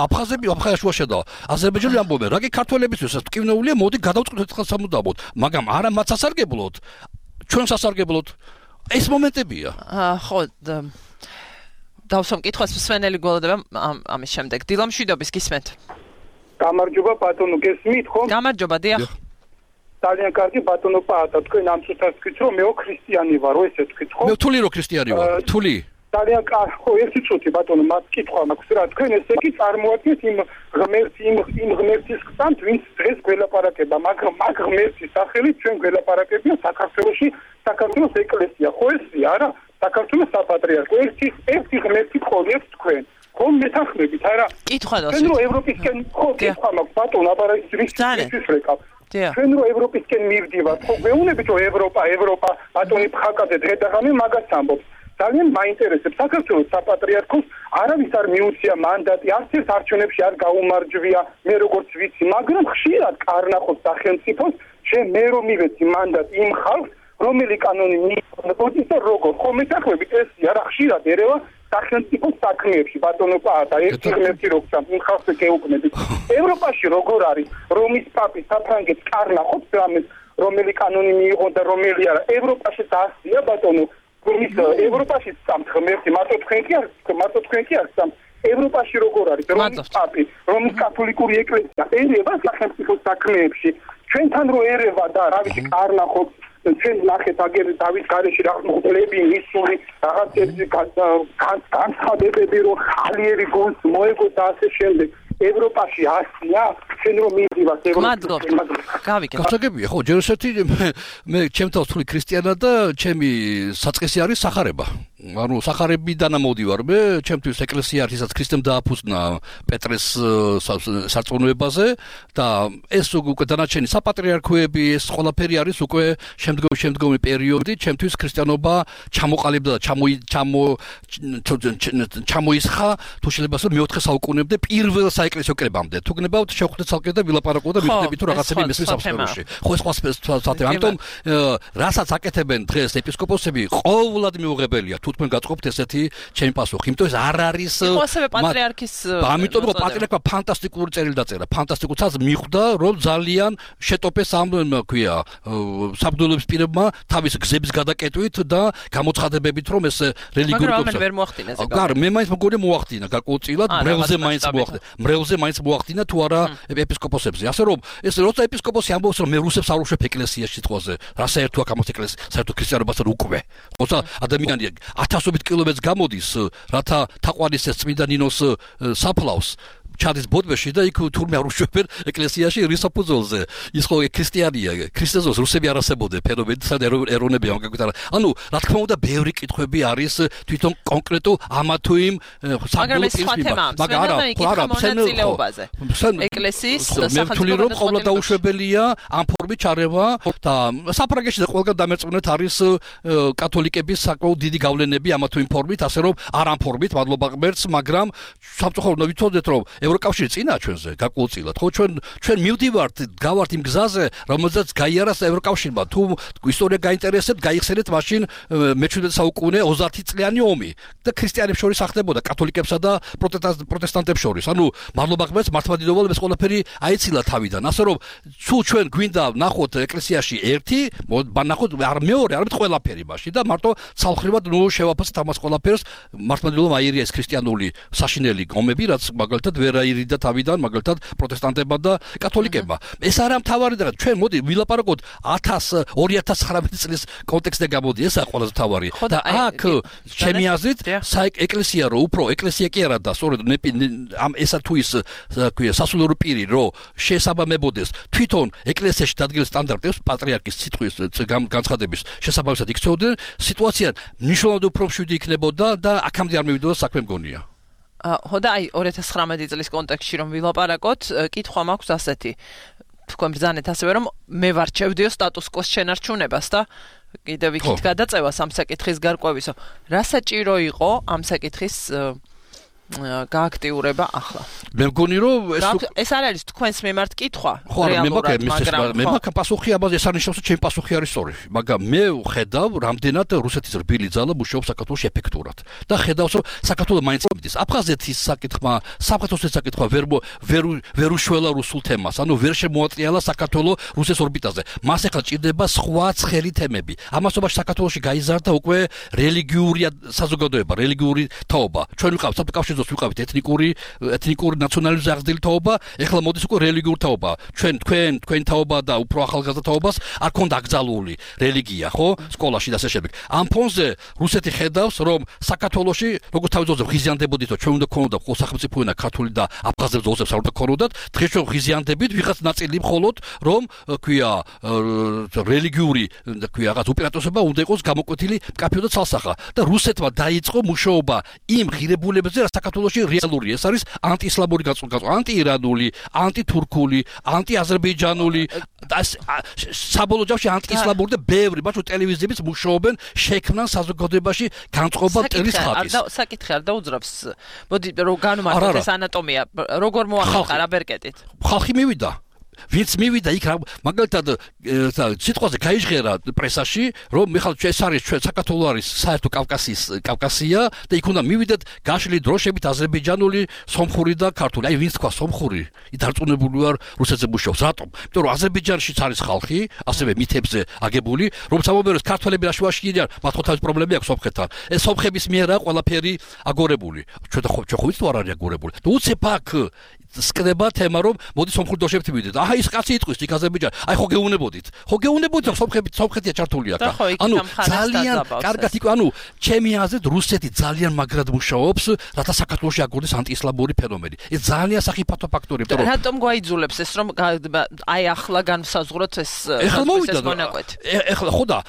აფხაზები აფხაზაშუა შედავა. აზერბაიჯანი ამბობენ, რა კი ქართველებისთვის ეს ტკივნეულია, მოდი გადავწყდეთ ხელ სამუდამოდ. მაგრამ არა მათ სასარგებლოდ, ჩვენ სასარგებლოდ. ეს მომენტებია. ხო, დავსვამ კითხვას მსვენელი გველოდება ამის შემდეგ. დილამშვიდობის გისმენთ. გამარჯობა ბატონო, გესმით ხო? გამარჯობა, დიახ. ძალიან კარგი ბატონო პაატა, თქვენ ამ წუთას თქვით რომ მეო ქრისტიანი ვარ, ესე თქვით ხო? მე თული რო ქრისტიანი ვარ, თული. ძალიან კარგი, ხო, ერთი წუთი ბატონო, მას კითხვა მაქვს რა, თქვენ ესე კი წარმოადგენთ იმ ღმერთს, იმ იმ ღმერთის ხსანთ, ვინც დღეს გველაპარაკება, მაგრამ მაგ ღმერთის სახელით ჩვენ გველაპარაკებია საქართველოში, საქართველოს ეკლესია, ხო ესია არა? საქართველოს საპატრიარქო, ერთი ერთი ღმერთი გქონიათ თქვენ. ხომ მეთანხმებით არა? კითხვა დოს. ჩვენ რო ევროპისკენ ხო კითხვა მაქვს ბატონო, აბა ის რის რეკავ. ჩვენ რო ევროპისკენ მივდივართ, ხო გვეუბნებით რომ ევროპა, ევროპა, ბატონი ფხაკაძე დღე-დღე მაგას ამბობს. ძალიან მაინტერესებს საქართველოს საპატრიარქოს არავის არ მიუწია მანდატი, არც ერთ არჩევნებში არ გაუმარჯვია, მე როგორც ვიცი, მაგრამ ხშირად კარნახობს სახელმწიფოს, შე მე რომ მივეცი მანდატი იმ ხალხს, რომელი კანონი მიიღოს და როგორ ხომ მეთანხმებით ეს არა ხშირად ერევა სახელმწიფოს საქმეებში ბატონო პაატა ერთი ღმერთი როგცა იმ ხალხს გეუბნებით ევროპაში როგორ არის რომის პაპი საფრანგეთს კარნახობს რამეს რომელი კანონი მიიღო და რომელი არა ევროპაში დაასწია ბატონო რომის ევროპაში სამ ღმერთი მარტო თქვენ კი არ მარტო თქვენ კი არ სამ ევროპაში როგორ არის რომის პაპი რომის კათოლიკური ეკლესია ერევა სახელმწიფოს საქმეებში ჩვენთან რო ერევა და რა ვიცი კარნახობს ჩვენ ნახეთ აგერ დავის გარეში რა მოხდები ისური რაღაცები განცხადებები რომ ხალიერი გონს მოეგო და ასე შემდეგ ევროპაში ასია ჩვენ რომ მივიდივართ ევროპაში გავიგე გასაგებია ხო ჯერ ესეთი მე ჩემთან ვთვლი ქრისტიანად და ჩემი საწყისი არის სახარება ანუ სახარებიდან მოვდივარ მე ჩემთვის ეკლესია არის ისაც ქრისტემ დააფუძნა პეტრეს სარწმუნოებაზე და ეს უკვე დანარჩენი საპატრიარქოები ეს ყველაფერი არის უკვე შემდგომი შემდგომი პერიოდი ჩემთვის ქრისტიანობა ჩამოყალიბდა და ჩამო ჩამო ჩამოისხა თუ შეიძლება ასე მეოთხე საუკუნემდე პირველ საეკლესიო კრებამდე თუ გნებავთ შევხვდეთ ცალკე და ვილაპარაკო და მივხვდებით თუ რაღაცები მესმის საფსპეროში ხო ეს სხვა სხვა ამიტომ რასაც აკეთებენ დღეს ეპისკოპოსები ყოველად მიუღებელია თუ თქვენ გაწყობთ ესეთი ჩემი პასუხი იმიტომ ეს არ არის ხო ასევე პატრიარქის ამიტომ რომ პატრიარქმა ფანტასტიკური წერილი დაწერა ფანტასტიკურ ცალს მიხვდა რომ ძალიან შეტოპეს ამ ქვია საბრძოლების პირებმა თავის გზების გადაკეტვით და გამოცხადებებით რომ ეს რელიგიური პროცესი ვერ მოახდინა ზოგადად გარ მე მაინც მგონი მოახდინა გარკვეულწილად მრევლზე მაინც მოახდინა მრევლზე მაინც მოახდინა თუ არა ეპისკოპოსებზე ასე რომ ეს როცა ეპისკოპოსი ამბობს რომ მე რუსებს არ უშვებ ეკლესიაში სიტყვაზე რა საერთო აქ ამას ეკლესია საერთო ქრისტიანობასთან უკვე როცა ადამიანი ათასობით კილომეტრს გამოდის რათა თაყვანისეს წმინდა ნინოს საფლავს ჩადის ბოდბეში და იქ თურმე არ უშვებენ ეკლესიაში რისაფუძველზე ის ხო ქრისტიანია ქრისტეზოს რუსები არ არსებობდნენ ფენომენი სად ეროვნები ამ გაგვიტარა ანუ რა თქმა უნდა ბევრი კითხვები არის თვითონ კონკრეტულ ამა თუ იმ საბრძოლო მაგრამ არა არა მონაწილეობაზე ეკლესიის მე ვთვლი რომ ყოველდღე დაუშვებელია ამ ფორმით ჩარევა და საფრანგეთში და ყველგან დამერწმუნეთ არის კათოლიკების საკმაოდ დიდი გავლენები ამა თუ იმ ფორმით ასე რომ არ ამ ფორმით მადლობა ღმერთს მაგრამ სამწუხაროდ ვიცოდეთ რომ ევროკავშირი წინა ჩვენზე გაკვულწილად ხო ჩვენ ჩვენ მივდივართ გავართ იმ გზაზე რომელზეც გაიარას ევროკავშირმა თუ ისტორია გაინტერესებთ გაიხსენეთ მაშინ მეჩვიდმეტე საუკუნე ოცდაათი წლიანი ომი და ქრისტიანებს შორის ახდებოდა კათოლიკებსა და პროტესტანტებს შორის ანუ მადლობა ღმერთს მართლმადიდებლობამ ეს ყველაფერი აიცილა თავიდან ასე რომ თუ ჩვენ გვინდა ნახოთ ეკლესიაში ერთი ნახოთ არ მეორე არამედ ყველაფერი მაშინ და მარტო ცალხრივად ნუ შევაფასოთ ამას ყველაფერს მართლმადიდებლობამ აირია ეს ქრისტიანული საშინელი ომები რაც მაგალითად ვერ არაირიდა თავიდან მაგალითად პროტესტანტებმა და კათოლიკებმა. ეს არა მთავარი და ჩვენ მოდი ვილაპარაკოთ ათას ორი ათას ცხრამეტი წლის კონტექსტზე გამოდი, ესაა ყველაზე მთავარი. და აქ ჩემი აზრით ეკლესია რო უფრო ეკლესია კი არა და სწორედ ამ ესა თუ ის ქვია სასულიერო პირი რო შესაბამებოდეს თვითონ ეკლესიაში დადგეს სტანდარტებს პატრიარქის სიტყვის განცხადების შესაბამისად იქცეოდნენ, სიტუაცია მნიშვნელოვნად უფრო მშვიდი იქნებოდა და აქამდე არ მივიდოდა საქმე მგონია. ხო და აი ორი ათას ცხრამეტი წლის კონტექსტში რომ ვილაპარაკოთ, კითხვა მაქვს ასეთი. თქვენ ბრძანეთ ასევე რომ მე ვარჩევდიო სტატუს კვოს შენარჩუნებას და კიდევ იქით გადაწევას ამ საკითხის გარკვევისო. რა საჭირო იყო ამ საკითხის გააქტიურება ახლა? მე მგონი რომ ეს არ არის თქვენს მიმართ კითხვა რეალურად, მაგრამ მე მაქვს პასუხი ამაზე, ეს არის რომ ჩემი პასუხი არის სწორი, მაგრამ მე ვხედავ რამდენად რუსეთის რბილი ძალა მუშაობს საქართველოს ეფექტურად და ხედავს რომ საქართველოს მაინც მიდის აფხაზეთის საკითხმა, საფრანგეთის საკითხმა ვერ ვერ ვერ უშველა რუსულ თემას, ანუ ვერ შემოატრიალა საქართველოს რუსეთის ორბიტაზე. მას ახლა ჭირდება სხვა ცხელი თემები. ამასობაში საქართველოში გაიზარდა უკვე რელიგიური საზოგადოება, რელიგიური თაობა. ჩვენ ვიყავთ საკავშირო ვიყავით ეთნიკური ეთნიკური ნაციონალიზმის აღზრდილი თაობა, ეხლა მოდის უკვე რელიგიური თაობა. ჩვენ თქვენ თქვენ თაობა და უფრო ახალგაზრდა თაობას არ ქონდა აკრძალული რელიგია, ხო? სკოლაში და ასე შემდეგ. ამ ფონზე რუსეთი ხედავს, რომ საქართველოში როგორც თავის ძოზე ღიზიანდებოდით, ჩვენ უნდა ქონოდა ხო სახელმწიფო ენა ქართული და აფხაზებს ძოზებს არ უნდა ქონოდათ, დღეს ჩვენ ღიზიანდებით, ვიღაც ნაწილი მხოლოდ რომ ქვია რელიგიური ქვია რაღაც უპირატესობა უნდა იყოს გამოკვეთილი მკაფიო და ცალსახა და რუსეთმა დაიწყო მუშაობა იმ ღირებულებებზე, რა საქართველოში რეალური, ეს არის ანტიისლამური გაწყვეტა, ანტიირანული, ანტითურქული, ანტიაზერბაიჯანული და საბოლოო ჯამში ანტიისლამური და ბევრი, ბაჭო ტელევიზიებიც მუშაობენ შექმნან საზოგადოებაში განწყობა მტრის ხატის. საკითხი არ დაუძრავს. მოდი რომ განვმარტოთ ეს ანატომია, როგორ მოახერხა რა ბერკეტით? ხალხი მივიდა. ვინც მივიდა იქ მაგალითად სიტყვაზე გაიჟღერა პრესაში რომ მიხალ ეს არის ჩვენ საქართველოს არის საერთო კავკასიის კავკასია და იქ უნდა მივიდეთ გაშლილი დროშებით აზერბაიჯანული, სომხური და ქართული. აი ვინც თქვა სომხური, დარწმუნებული ვარ რუსეთზე მუშაობს. რატომ? იმიტომ რომ აზერბაიჯანშიც არის ხალხი, ასევე მითებზე აგებული, რომ სამომეროს ქართველები რაშუაში իրიან, მათ ხო თავის პრობლემები აქვს სომხეთთან. ეს სომხების მიერაა ყველაფერი აგორებული. ჩვენ და ხო ჩვენ ხო ვიცით არ არის აგორებული. და უცებ აქ სკდება თემა რომ მოდი სომხურ დროშებით მივიდეთ. აჰა ის კაცი იტყვის იქ აზერბაიჯანი. აი ხო გეუნებოდით. ხო გეუნებოდით რომ სომხები სომხეთია ჩართული აქ. ანუ ძალიან კარგად იქ ანუ ჩემი აზრით რუსეთი ძალიან მაგრად მუშაობს, რათა საქართველოში აგორდეს ანტიისლამური ფენომენი. ეს ძალიან სახიფათო ფაქტორია, იმიტომ რომ რატომ გვაიძულებს ეს რომ აი ახლა განსაზღვროთ ეს ეხლა მოვიდა. ეხლა ხო და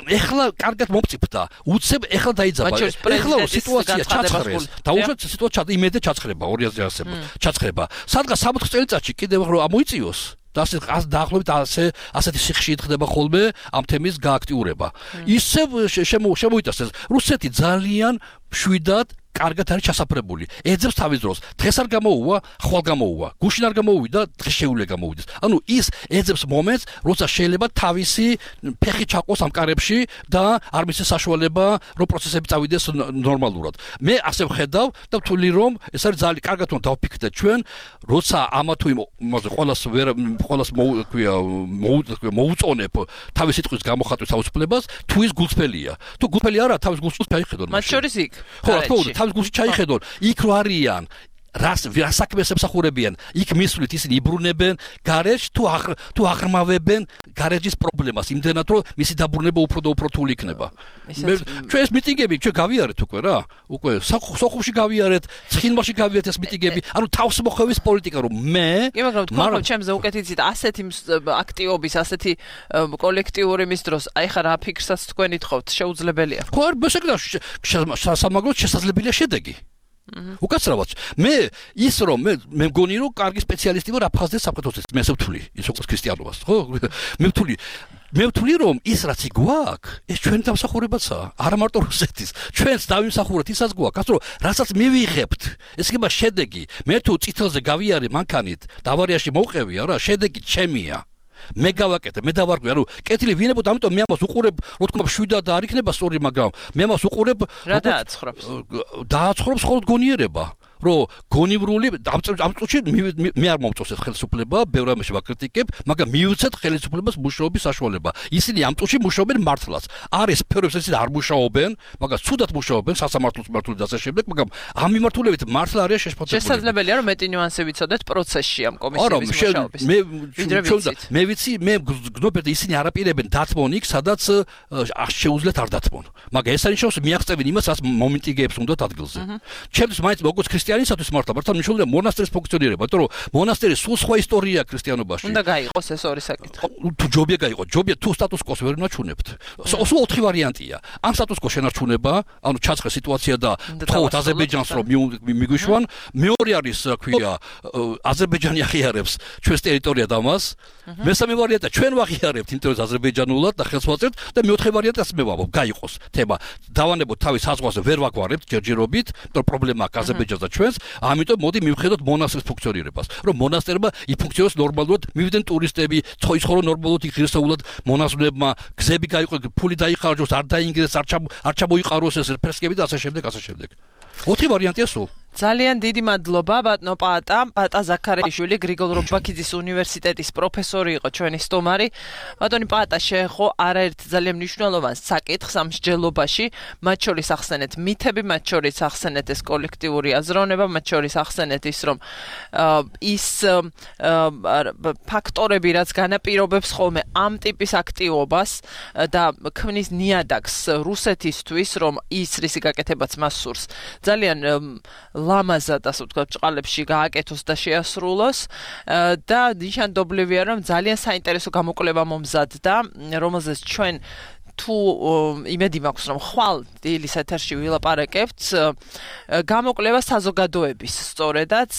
ეხლა კარგად მომწიფდა. უცებ ეხლა დაიძაბა. ეხლა სიტუაცია ჩაცხრეს. დაუშვათ სიტუაცია იმედე ჩაცხრება ორი ათი ასება. ჩაცხრება სადღაც სამოთხ წელიწადში კიდევ რომ ამოიწიოს და ასე დაახლოებით ასე ასეთი სიხში ითხდება ხოლმე ამ თემის გააქტიურება. ისევ შემოიტანს ეს რუსეთი ძალიან მშვიდად კარგად არის ჩასაფრებული. ეძებს თავის დროს. დღეს არ გამოუვა, ხვალ გამოუვა. გუშინ არ გამოუვიდა, დღეს შეუძლია გამოვიდეს. ანუ ის ეძებს მომენტს, როცა შეიძლება თავისი ფეხი ჩაყოს ამ კარებში და არ მისცეს საშუალება, რომ პროცესები წავიდეს ნორმალურად. მე ასე ვხედავ და ვთვლი რომ ეს არის ძალიან კარგად რომ დავფიქრდეთ ჩვენ, როცა ამა თუ იმ მოზე ყოველას ვერ ყოველას მოუქვია მოუწონებ თავის სიტყვის გამოხატვის თავისუფლებას, თუ ის გულწრფელია. თუ გულწრფელი არა, თავის გულს ჩაიხედონ. მათ შორის იქ. ხო, რა თქმა უნდა თავის გულში ჩაიხედონ, იქ რო არიან, რას საქმეს ემსახურებიან, იქ მისვლით ისინი იბრუნებენ გარეჯს თუ თუ აღრმავებენ გარეჯის პრობლემას, იმდენად რომ მისი დაბრუნება უფრო და უფრო რთული იქნება. ჩვენ ეს მიტინგები ჩვენ გავიარეთ უკვე რა, უკვე სოხუმში გავიარეთ, ცხინვალში გავიარეთ ეს მიტინგები, ანუ თავსმოხვევის პოლიტიკა რომ მე კი მაგრამ თქვენ ჩემზე უკეთ იცით ასეთი აქტიობის, ასეთი კოლექტიური მის დროს, აი ხა რა ფიქრსაც თქვენ ითხოვთ, შეუძლებელია. ხო არ ბესაკდა სამაგროდ შესაძლებელია შედეგი. უკაცრავად მე ის რომ მე მე მგონი რომ კარგი სპეციალისტი ვარ აფხაზეთის საფრთხეს მე ვთვლი ის როგორც ქრისტიანობას ხო მე ვთვლი მე ვთვლი რომ ის რაც გვაქვს ეს ჩვენ დამსახურებაცაა არა მარტო რუსეთის ჩვენს დავიმსახურეთ ისაც გვაქვს რომ რასაც მივიღებთ ეს იქნება შედეგი მე თუ წითელზე გავიარე მანქანით და ავარიაში მოვყევი არა შედეგი ჩემია მე გავაკეთე, მე დავარგვი, ანუ კეთილი ვინებოდ, ამიტომ მე ამას უყურებ, რო თქმა შვიდად არ იქნება სწორი, მაგრამ მე ამას უყურებ, რა დააცხრობს? დააცხრობს მხოლოდ გონიერება. რომ გონივრული ამ წუთში მე არ მომწონს ეს ხელისუფლება, ბევრ ამაში ვაკრიტიკებ, მაგრამ მივიცეთ ხელისუფლებას მუშაობის საშუალება. ისინი ამ წუთში მუშაობენ მართლაც. არის სფეროებს ისინი არ მუშაობენ, მაგრამ ცუდად მუშაობენ სასამართლოს მართული და ასე შემდეგ, მაგრამ ამ მიმართულებით მართლა არის შეშფოთებული. შესაძლებელია რომ მეტი ნიუანსი ვიცოდეთ პროცესში ამ კომისიების მუშაობის. მე მე ვიცი, მე გნობერთ ისინი არაპირებენ დათმონ იქ, სადაც შეუძლიათ არ დათმონ. მაგრამ ეს ანიშნავს მიაღწევენ იმას, რაც მომენტიგეებს უნდათ ადგილზე. ჩემთვის მაინც როგორც ქრისტიანისათვის მართლა მართლა მნიშვნელოვანია მონასტრის ფუნქციონირება, იმიტომ რომ მონასტერი სულ სხვა ისტორიაა ქრისტიანობაში. უნდა გაიყოს ეს ორი საკითხი. თუ ჯობია გაიყო, ჯობია თუ სტატუს კოს ვერ ნაჩვენებთ. სულ ოთხი ვარიანტია. ამ სტატუს კოს შენარჩუნება, ანუ ჩაცხე სიტუაცია და თხოვთ აზერბაიჯანს რომ მიგვიშვან, მეორე არის, რა ქვია, აზერბაიჯანი აღიარებს ჩვენს ტერიტორიად ამას. მესამე ვარიანტია ჩვენ ვაღიარებთ იმიტომ რომ აზერბაიჯანულად და ხელს ვაწევთ და მეოთხე ვარიანტია ასე მე ვამბობ, გაიყოს თემა. დავანებოთ თავის საზღვარზე ვერ ვაგვარებთ ჯერჯერობით, იმიტომ პრობლემა აქვს აზერბაიჯანს და ჩვენს, ამიტომ მოდი მივხედოთ მონასტრის ფუნქციონირებას. რომ მონასტერმა იფუნქციონოს ნორმალურად, მივიდნენ ტურისტები, ცხოვრობენ ნორმალურად ღირსეულად მონაზვნებმა, გზები გაიყო, ფული დაიხარჯოს, არ დაინგრეს, არ ჩამოიყაროს ეს ფრესკები და ასე შემდეგ, ასე შემდეგ. ოთხი ვარიანტია სულ. ძალიან დიდი მადლობა ბატონო პაატა, პაატა ზაქარიაშვილი, გრიგოლ რობაქიძის უნივერსიტეტის პროფესორი იყო ჩვენი სტუმარი. ბატონი პაატა შეეხო არაერთ ძალიან მნიშვნელოვან საკითხს ამ მსჯელობაში, მათ შორის ახსენეთ მითები, მათ შორის ახსენეთ ეს კოლექტიური აზროვნება, მათ შორის ახსენეთ ის, რომ ის ფაქტორები, რაც განაპირობებს ხოლმე ამ ტიპის აქტივობას და ქმნის ნიადაგს რუსეთისთვის, რომ ის რისი გაკეთებაც მას სურს. ძალიან ლამაზად ასე ვთქვათ, ჭყალებში გააკეთოს და შეასრულოს და ნიშანდობლივია, რომ ძალიან საინტერესო გამოკვლევა მომზადდა, რომელზეც ჩვენ თუ იმედი მაქვს, რომ ხვალ დილის ეთერში ვილაპარაკებთ, გამოკვლევა საზოგადოების, სწორედაც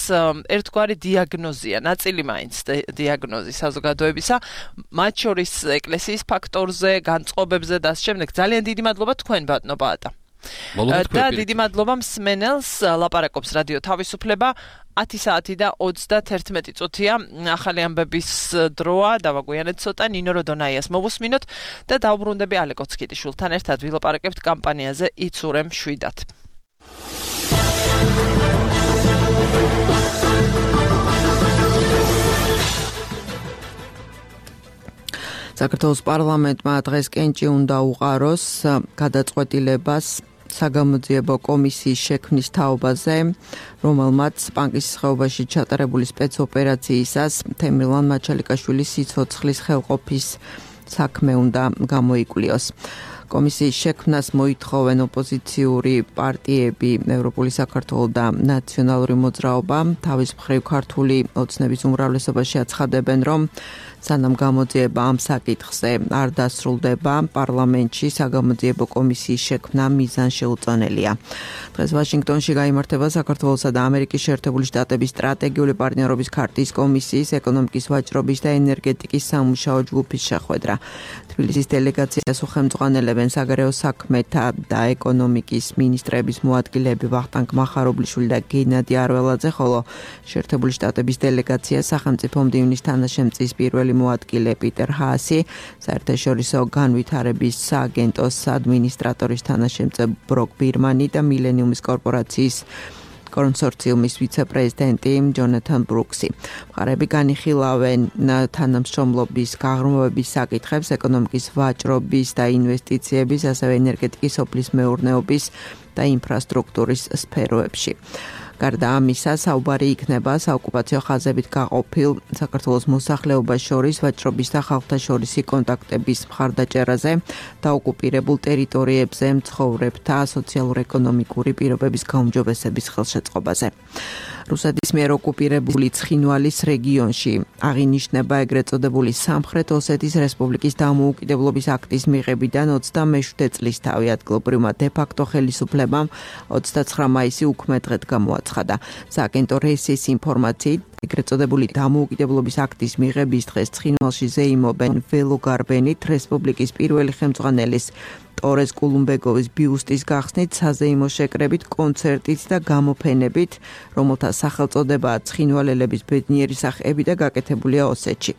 ერთგვარი დიაგნოზია, ნაწილი მაინც დიაგნოზი საზოგადოებისა, მათ შორის ეკლესიის ფაქტორზე, განწყობებზე და ამ შემდეგ. ძალიან დიდი მადლობა თქვენ, ბატონო პაატა. და დიდი მადლობა მსმენელს, ლაპარაკობს რადიო თავისუფლება, ათი საათი და ოცდაერთი წუთია, ახალი ამბების დროა, დავაგვიანეთ ცოტა, ნინო როდონაიას მოვუსმინოთ და დავბრუნდები ალეკო ცკიტიშვილთან ერთად ვილაპარაკებთ კამპანიაზე იცურემ შვიდად. საქართველოს პარლამენტმა დღეს კენჭი უნდა უყაროს გადაწყვეტილებას საგამოძიებო კომისიის შექმნის თაობაზე, რომელმაც პანკის ხეობაში ჩატარებული სპეცოპერაციისას თემრილან მაჩალიკაშვილის სიცოცხლის ხელყოფის საქმე უნდა გამოიკლიოს. კომისიის შექმნას მოითხოვენ ოპოზიციური პარტიები, ევროპული საქართველო და ნაციონალური მოძრაობა. თავის მხრივ ქართული ოცნების უმრავლესობაში აცხადებენ, რომ სანამ გამოძიება ამ საკითხზე არ დასრულდება, პარლამენტში საგამოძიებო კომისიის შექმნა მიზანშეუწონელია. დღეს ვაშინგტონში გაიმართება საქართველოსა და ამერიკის შეერთებული შტატების სტრატეგიული პარტნიორობის ქარტიის კომისიის ეკონომიკის ვაჭრობის და ენერგეტიკის სამუშაო ჯგუფის შეხვედრა. თბილისის დელეგაციას უხელმძღვანელებენ საგარეო საქმეთა და ეკონომიკის მინისტრების მოადგილეები ვახტანგ მახარობლიშვილი და გენადი არველაძე, ხოლო შეერთებული შტატების დელეგაცია სახელმწიფო მდივნის თანაშემწის პირველი მოადგილე პიტერ ჰაასი, საერთაშორისო განვითარების სააგენტოს ადმინისტრატორის თანაშემწე ბროკ ბირმანი და მილენიუმის კორპორაციის კონსორციუმის ვიცე-პრეზიდენტი ჯონათან ბრუქსი. მხარეები განიხილავენ თანამშრომლობის გაღრმავების საკითხებს ეკონომიკის ვაჭრობის და ინვესტიციების, ასევე ენერგეტიკის, სოფლის მეურნეობის და ინფრასტრუქტურის სფეროებში. გარდა ამისა, საუბარი იქნება საოკუპაციო ხაზებით გაყოფილ საქართველოს მოსახლეობას შორის ვაჭრობის და ხალხთა შორისი კონტაქტების მხარდაჭერაზე და ოკუპირებულ ტერიტორიებზე მცხოვრებთა სოციალურ-ეკონომიკური პირობების გაუმჯობესების ხელშეწყობაზე. რუსეთის მიერ ოკუპირებული ცხინვალის რეგიონში აღინიშნება ეგრეთ წოდებული სამხრეთ ოსეთის რესპუბლიკის დამოუკიდებლობის აქტის მიღებიდან ოცდამეშვიდე წლისთავი ადგილობრივმა დე-ფაქტო ხელისუფლებამ ოცდაცხრა მაისი უქმე დღედ გამოაცხადა. სააგენტო რესის ინფორმაციით ეგრეთ წოდებული დამოუკიდებლობის აქტის მიღების დღეს ცხინვალში ზეიმობენ ველოგარბენით რესპუბლიკის პირველი ხელმძღვანელის ტორეს კულუმბეგოვის ბიუსტის გახსნით, საზეიმო შეკრებით, კონცერტით და გამოფენებით, რომელთა სახელწოდებაა ცხინვალელების ბედნიერი სახეები და გაკეთებულია ოსეთში.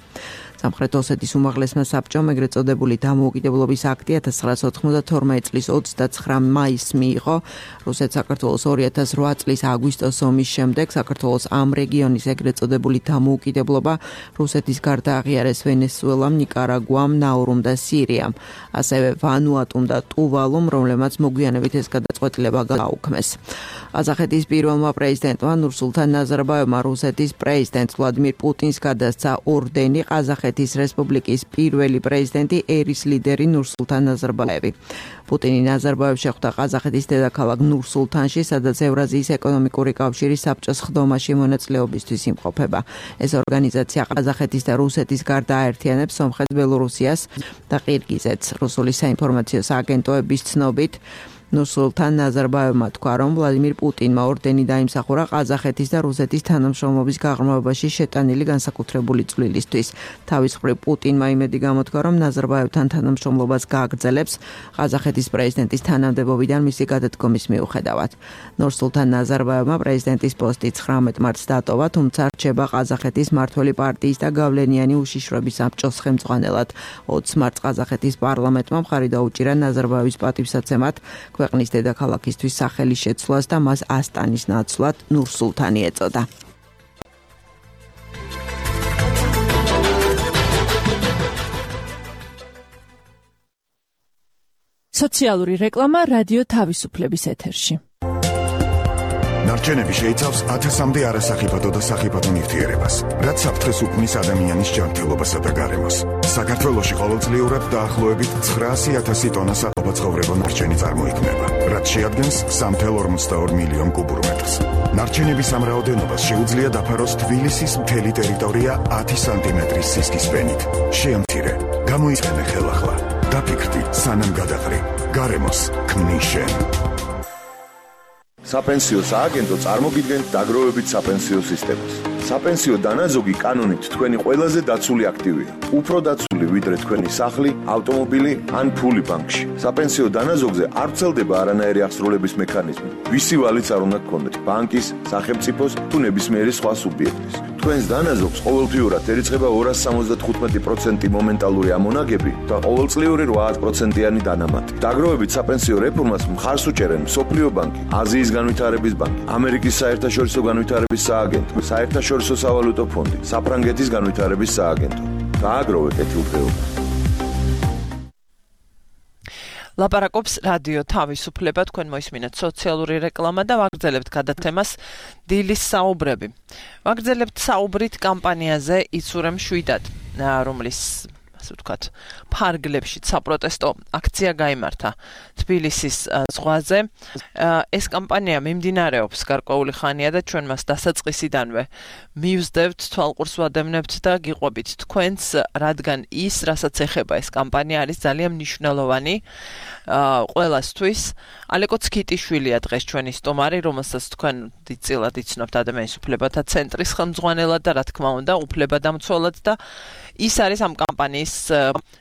სამხრეთ ოსეთის უმაღლესმა საბჭომ ეგრეთ წოდებული დამოუკიდებლობის აქტი ათას ცხრაასი ოთხმოცდათორმეტი წლის ოცდაცხრა მაისს მიიღო. რუსეთ-საქართველოს ორი ათას რვა წლის აგვისტოს ომის შემდეგ საქართველოს ამ რეგიონის ეგრეთ წოდებული დამოუკიდებლობა რუსეთის გარდა აღიარეს ვენესუელამ, ნიკარაგუამ, ნაურუმ და სირიამ, ასევე ვანუატუმ და ტუვალუმ, რომლებმაც მოგვიანებით ეს გადაწყვეტილება გააუქმეს. ყაზახეთის პირველმა პრეზიდენტმა ნურსულთან ნაზარბაევმა რუსეთის პრეზიდენტ ვლადიმირ პუტინს გადასცა ორდენი ყაზახეთის რესპუბლიკის პირველი პრეზიდენტი ერის ლიდერი ნურსულთან ნაზარბაევი. პუტინი ნაზარბაევს შეხვდა ყაზახეთის დედაქალაქ ნურსულთანში, სადაც ევრაზიის ეკონომიკური კავშირის საბჭოს ხდომაში მონაწილეობისთვის იმყოფება. ეს ორგანიზაცია ყაზახეთის და რუსეთის გარდა აერთიანებს სომხეთს, ბელორუსიას და ყირგიზეთს. რუსული საინფორმაციო სააგენტოების ცნობით ნურსულთან ნაზარბაევმა თქვა, რომ ვლადიმირ პუტინმა ორდენი დაიმსახურა ყაზახეთის და რუსეთის თანამშრომლობის გაღრმავებაში შეტანილი განსაკუთრებული წვლილისთვის. თავის მხრივ პუტინმა იმედი გამოთქვა, რომ ნაზარბაევთან თანამშრომლობას გააგრძელებს ყაზახეთის პრეზიდენტის თანამდებობიდან მისი გადადგომის მიუხედავად. ნურსულთან ნაზარბაევმა პრეზიდენტის პოსტი ცხრამეტ მარტს დატოვა, თუმცა რჩება ყაზახეთის მმართველი პარტიის და გავლენიანი უშიშროების საბჭოს ხელმძღვანელად. ოცი მარტს ყაზახეთის პარლამენტმა მხარი დაუჭირა ნაზარბაევის პატივსაცემად ქვეყნის დედაქალაქისთვის სახელის შეცვლას და მას ასტანის ნაცვლად ნურსულთანი ეწოდა. სოციალური რეკლამა რადიო თავისუფლების ეთერში. ნარჩენები შეიცავს ათასამდე არასახიფათო და სახიფათო ნივთიერებას, რაც საფრთხეს უქმნის ადამიანის ჯანმრთელობასა და გარემოს. საქართველოში ყოველწლიურად დაახლოებით ცხრაასი ათასი ტონა საყოფაცხოვრებო ნარჩენი წარმოიქმნება, რაც შეადგენს სამი წუთი ორმოცდაორი მილიონ კუბურ მეტრს. ნარჩენების ამ რაოდენობას შეუძლია დაფაროს თბილისის მთელი ტერიტორია ათი სანტიმეტრის სისქის ფენით. შეამცირე, გამოიყენე ხელახლა. დაფიქრდი, სანამ გადაყრი. გარემოს ქმნის შენ. საპენსიო სააგენტო წარმოგიდგენთ დაგროვებით საპენსიო სისტემას. საპენსიო დანაზოგი კანონით თქვენი ყველაზე დაცული აქტივია. უფრო დაცული ვიდრე თქვენი სახლი, ავტომობილი ან ფული ბანკში. საპენსიო დანაზოგზე არ ვრცელდება არანაირი აღსრულების მექანიზმი. ვისი ვალიც არ უნდა გქონდეთ, ბანკის, სახელმწიფოს თუ ნებისმიერი სხვა სუბიექტის. თქვენს დანაზოგს ყოველთვიურად ერიცხება ორასი სამოცდათხუთმეტი პროცენტი მომენტალური ამონაგები და ყოველწლიური რვა პროცენტიანი დანამატი. დაგროვებით საპენსიო რეფორმას მხარს უჭერენ მსოფლიო ბანკი, აზიის განვითარების ბანკი, ამერიკის საერთაშორისო განვითარების სააგენტო, საერთაშორისო სავალუტო ფონდი, საფრანგეთის განვითარების სააგენტო. გააგროვე კეთილდღეობას. ლაპარაკობს რადიო თავისუფლება, თქვენ მოისმინეთ სოციალური რეკლამა და ვაგრძელებთ გადაცემას დილის საუბრები. ვაგრძელებთ საუბრით კამპანიაზე იცურე მშვიდად, რომლის ასე ვთქვათ, ფარგლებში საპროტესტო აქცია გაიმართა თბილისის ზღვაზე. ეს კამპანია მიმდინარეობს გარკვეული ხანია და ჩვენ მას დასაწყისიდანვე მივსდევთ, თვალყურს ვადევნებთ და გიყვებით თქვენს, რადგან ის, რასაც ეხება ეს კამპანია, არის ძალიან მნიშვნელოვანი ყველასთვის. ალეკო ცქიტიშვილია დღეს ჩვენი სტუმარი, რომელსაც თქვენ დიდწილად იცნობთ ადამიანის უფლებათა ცენტრის ხელმძღვანელად და რა თქმა უნდა უფლებადამცველად და ის არის ამ კამპანიის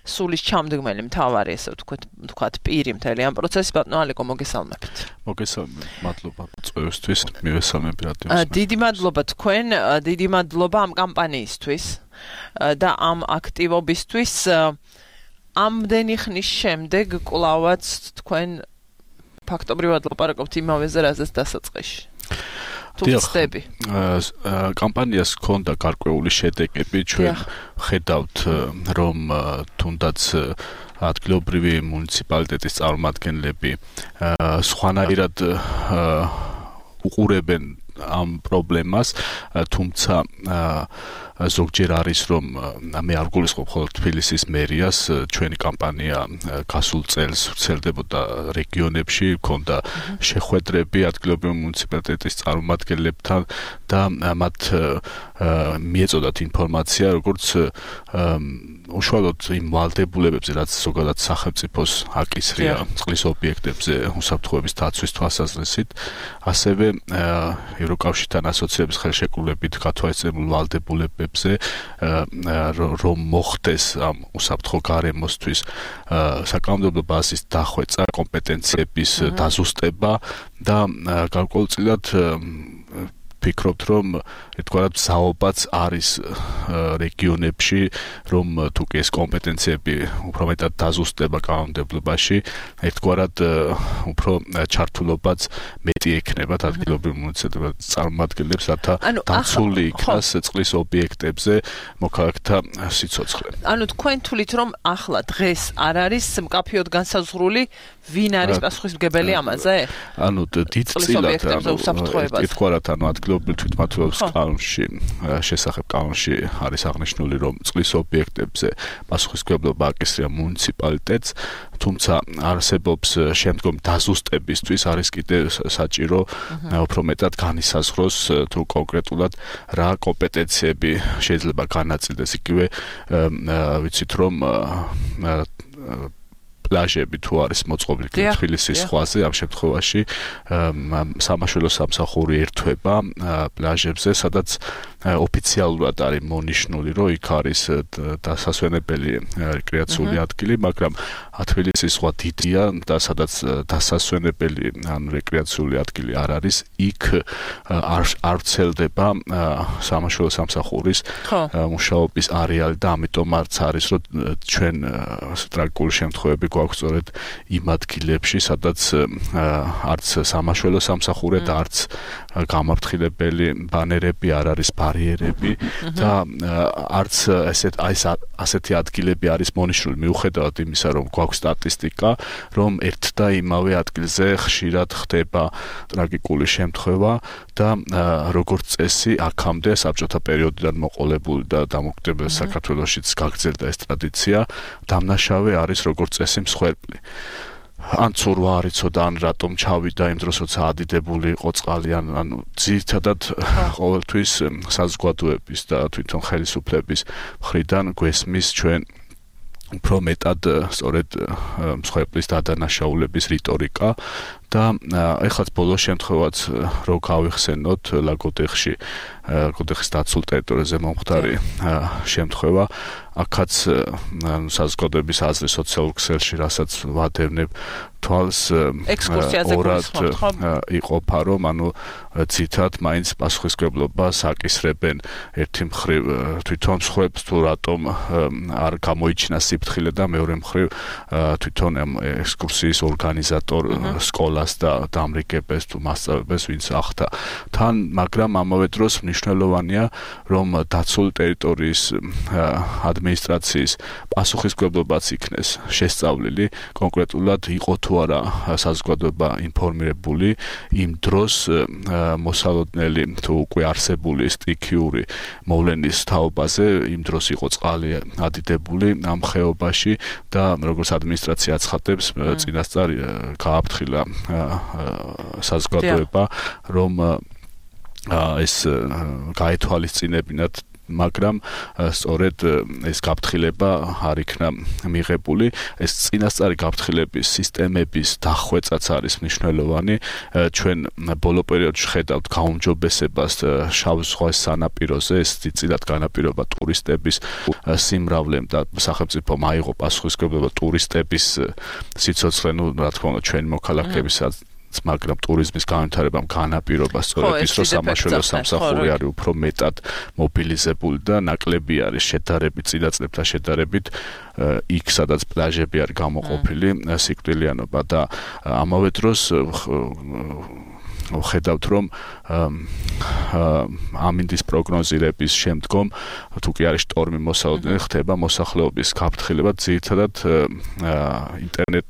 სულის ჩამდგმელი მთავარი, ესე ვთქვათ, ვთქვათ, პირი მთელი ამ პროცესის. ბატონო ალეკო, მოგესალმებით. მოგესალმებით, მადლობა წვევისთვის, მივესალმები რადიოს. დიდი მადლობა თქვენ, დიდი მადლობა ამ კამპანიისთვის და ამ აქტივობისთვის. ამდენი ხნის შემდეგ კვლავაც თქვენ ფაქტობრივად ლაპარაკობთ იმავეზე, რაზეც დასაწყისში. თუმცა კამპანიას ჰქონდა გარკვეული შედეგები, ჩვენ ხედავთ, რომ თუნდაც ადგილობრივი მუნიციპალიტეტის წარმომადგენლები სხვანაირად უყურებენ ამ პრობლემას, თუმცა ზოგჯერ არის, რომ მე არ გულისხმობ მხოლოდ თბილისის მერიას, ჩვენი კამპანია გასულ წელს ვრცელდებოდა რეგიონებში, ჰქონდა შეხვედრები ადგილობრივი მუნიციპალიტეტის წარმომადგენლებთან და მათ მიეწოდათ ინფორმაცია, როგორც უშუალოდ იმ ვალდებულებებზე, რაც ზოგადად სახელმწიფოს აკისრია წყლის ობიექტებზე უსაფრთხოების დაცვის თვალსაზრისით, ასევე ევროკავშირთან ასოციების ხელშეკრულებით გათვალისწინებულ ვალდებულებებზე რომ მოხდეს ამ უსაფრთხო გარემოსთვის საკანონმდებლო ბაზის დახვეწა, კომპეტენციების დაზუსტება და გარკვეულწილად ვფიქრობთ, რომ ერთგვარად საუბაც არის რეგიონებში, რომ თუ კი ეს კომპეტენციები უფრო მეტად დაზუსტება კანონმდებლობაში, ერთგვარად უფრო ჩართულობაც მეტი ექნება ადგილობრივ მუნიციპალიტეტების წარმომადგენლებს, რათა დაცული იქნას წყლის ობიექტებზე მოქალაქეთა სიცოცხლე. ანუ თქვენ თვლით, რომ ახლა დღეს არ არის მკაფიოდ განსაზღვრული ვინ არის პასუხისმგებელი ამაზე? ანუ დიდწილად ერთგვარად ანუ ადგილობრივ თვითმმართველობის კანონში შესახებ კანონში არის აღნიშნული, რომ წყლის ობიექტებზე პასუხისმგებლობა აკისრია მუნიციპალიტეტს, თუმცა არსებობს შემდგომ დაზუსტებისთვის არის კიდე საჭირო უფრო მეტად განისაზღვროს თუ კონკრეტულად რა კომპეტენციები შეიძლება განაწილდეს. იგივე ვიცით, რომ პლაჟები თუ არის მოწყობილი თბილისის ზღვაზე, ამ შემთხვევაში სამაშველო სამსახური ერთვება პლაჟებზე, სადაც ოფიციალურად არის მონიშნული, რომ იქ არის დასასვენებელი რეკრეაციული ადგილი, მაგრამ თბილისის ზღვა დიდია და სადაც დასასვენებელი ან რეკრეაციული ადგილი არ არის, იქ არ ვრცელდება სამაშველო სამსახურის მუშაობის არეალი და ამიტომაც არის, რომ ჩვენ ტრაგიკული შემთხვევები გვაქვს სწორედ იმ ადგილებში, სადაც არც სამაშველო სამსახური და არც გამაფრთხილებელი ბანერები არ არის, ბარიერები და არც ესეთ აი ასეთი ადგილები არის მონიშნული, მიუხედავად იმისა, რომ გვაქვს სტატისტიკა, რომ ერთ და იმავე ადგილზე ხშირად ხდება ტრაგიკული შემთხვევა და როგორც წესი აქამდე საბჭოთა პერიოდიდან მოყოლებული და დამოუკიდებელ საქართველოშიც გაგრძელდა ეს ტრადიცია, დამნაშავე არის როგორც წესი მსხვერპლი. ან ცურვა არ იცოდა, ან რატომ ჩავიდა იმ დროს, როცა ადიდებული იყო წყალი, ანუ ძირითადად ყოველთვის საზოგადოების და თვითონ ხელისუფლების მხრიდან გვესმის ჩვენ უფრო მეტად სწორედ მსხვერპლის დადანაშაულების რიტორიკა და ეხლაც ბოლო შემთხვევაც რო გავიხსენოთ ლაგოდეხში, ლაგოდეხის დაცულ ტერიტორიაზე მომხდარი შემთხვევა, აქაც საზოგადოების აზრი სოციალურ ქსელში, რასაც ვადევნებ თვალს ორად იყოფა, რომ ანუ ცითად მაინც პასუხისმგებლობას აკისრებენ ერთი მხრივ თვითონ მსხვერპლს თუ რატომ არ გამოიჩინა სიფრთხილე და მეორე მხრივ თვითონ ექსკურსიის ორგანიზატორ სკოლას და დამრიგებელს თუ მასწავლებელს ვინც ახდა თან, მაგრამ ამავე დროს მნიშვნელოვანია, რომ დაცული ტერიტორიის ადმინისტრაციის პასუხისმგებლობაც იქნეს შესწავლილი, კონკრეტულად იყო თუ არა საზოგადოება ინფორმირებული იმ დროს მოსალოდნელი თუ უკვე არსებული სტიქიური მოვლენის თაობაზე, იმ დროს იყო წყალი ადიდებული ამ ხეობაში და როგორც ადმინისტრაცია აცხადებს, წინასწარ გააფრთხილა საზოგადოება, რომ ეს გაეთვალისწინებინათ, მაგრამ სწორედ ეს გაფრთხილება არ იქნა მიღებული. ეს წინასწარი გაფრთხილების სისტემების დახვეწაც არის მნიშვნელოვანი. ჩვენ ბოლო პერიოდში ხედავთ გაუმჯობესებას შავ ზღვის სანაპიროზე, ეს ძირითადად განაპირობა ტურისტების სიმრავლემ და სახელმწიფომ აიღო პასუხისმგებლობა ტურისტების სიცოცხლე, ნუ რა თქმა უნდა ჩვენი მოქალაქეებისაც, მაგრამ ტურიზმის განვითარებამ განაპირობა სწორედ ის, რომ სამაშველო სამსახური არის უფრო მეტად მობილიზებული და ნაკლები არის შედარებით წინა წლებთან შედარებით იქ, სადაც პლაჟები არის გამოყოფილი სიკვდილიანობა და ამავე დროს ვხედავთ, რომ ამინდის პროგნოზირების შემდგომ, თუ კი არის შტორმი მოსალოდნელი, ხდება მოსახლეობის გაფრთხილება ძირითადად ინტერნეტ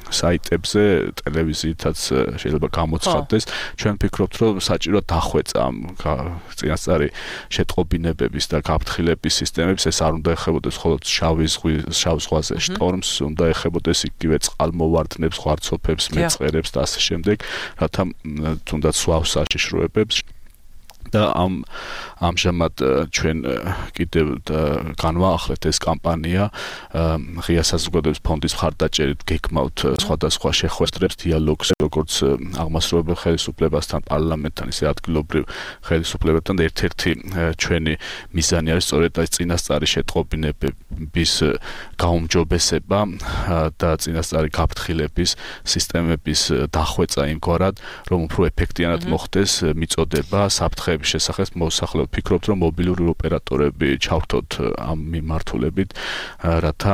საიტებზე, ტელევიზიითაც შეიძლება გამოცხადდეს. ჩვენ ვფიქრობთ, რომ საჭიროა დახვეწა ამ წინასწარი შეტყობინებების და გაფრთხილების სისტემებს, ეს არ უნდა ეხებოდეს მხოლოდ შავი ზღვის, შავ ზღვაზე შტორმს, უნდა ეხებოდეს იგივე წყალმოვარდნებს, ღვარცოფებს, მეწყერებს და ასე შემდეგ, რათა თუნდაც სვავსაშიშროებებს და ამ ამჟამად ჩვენ კიდევ განვაახლეთ ეს კამპანია ღია საზოგადოების ფონდის მხარდაჭერით გეკმავთ სხვადასხვა შეხვედრებს დიალოგს როგორც აღმასრულებელ ხელისუფლებასთან პარლამენტთან ისე ადგილობრივ ხელისუფლებებთან და ერთ-ერთი ჩვენი მიზანი არის სწორედ ეს წინასწარი შეტყობინების გაუმჯობესება და წინასწარი გაფრთხილების სისტემების დახვეწა იმგვარად რომ უფრო ეფექტიანად მოხდეს მიწოდება საფრთხეების შესახებ მოსახლეობ ფიქრობთ რომ მობილური ოპერატორები ჩავთოთ ამ მიმართულებით რათა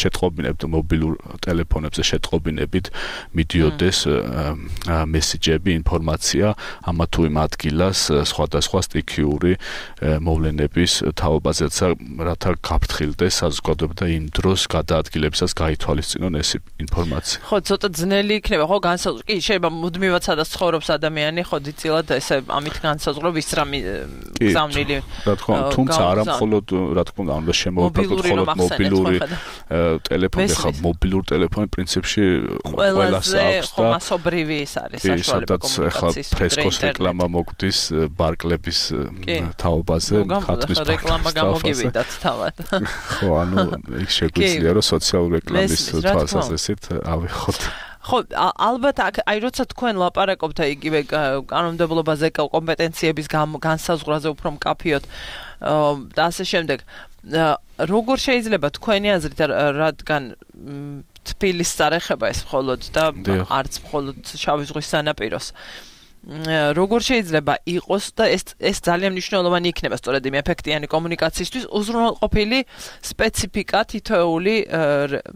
შეტყობინებთ მობილურ ტელეფონებზე შეტყობინებით მიდიოდეს მესიჯები ინფორმაცია ამა თუ იმ ადგილას სხვადასხვა სტიქიური მოვლენების თაობაზე რათა გაფრთხილდეს საზოგადოება და იმ დროს გადაადგილებისას გაითვალისწინონ ეს ინფორმაცია. ხო, ცოტა ძნელი იქნება, ხო, განსაზღვრა. კი, შეიძლება მუდმივად სადაც ცხოვრობს ადამიანი, ხო, დიწილად ესე ამით განსაზღვრა ვის რამე გზავნილი. რა თქმა უნდა, თუმცა არა მხოლოდ, რა თქმა უნდა, უნდა შემოვიფრთხილოთ მხოლოდ მობილური ტელეფონი, ხა, მობილური ტელეფონი პრინციპში ყველას აქვს და მასობრივი ის არის საშუალება კომუნიკაციის. ფრესკოს რეკლამა მოგვდის ბარკლების თაობაზე, ხატვის რეკლამა გამოგივიდათ თავად. ხო, ანუ იქ შეგვიძლია რომ სოციალური რეკლამის თვალსაზრისით ავიღოთ. ხო, ალბათ აი როცა თქვენ ლაპარაკობთ იგივე კანონმდებლობაზე, კომპეტენციების განსაზღვრაზე უფრო მკაფიოდ და ასე შემდეგ, როგორ შეიძლება თქვენი აზრით, რადგან თბილის წარეხება ეს მხოლოდ და არც მხოლოდ შავი ზღვის სანაპიროს როგორ შეიძლება იყოს და ეს ეს ძალიან მნიშვნელოვანი იქნება სწორედ იმ ეფექტიანი კომუნიკაციისთვის უზრუნველყოფილი სპეციფიკა თითოეული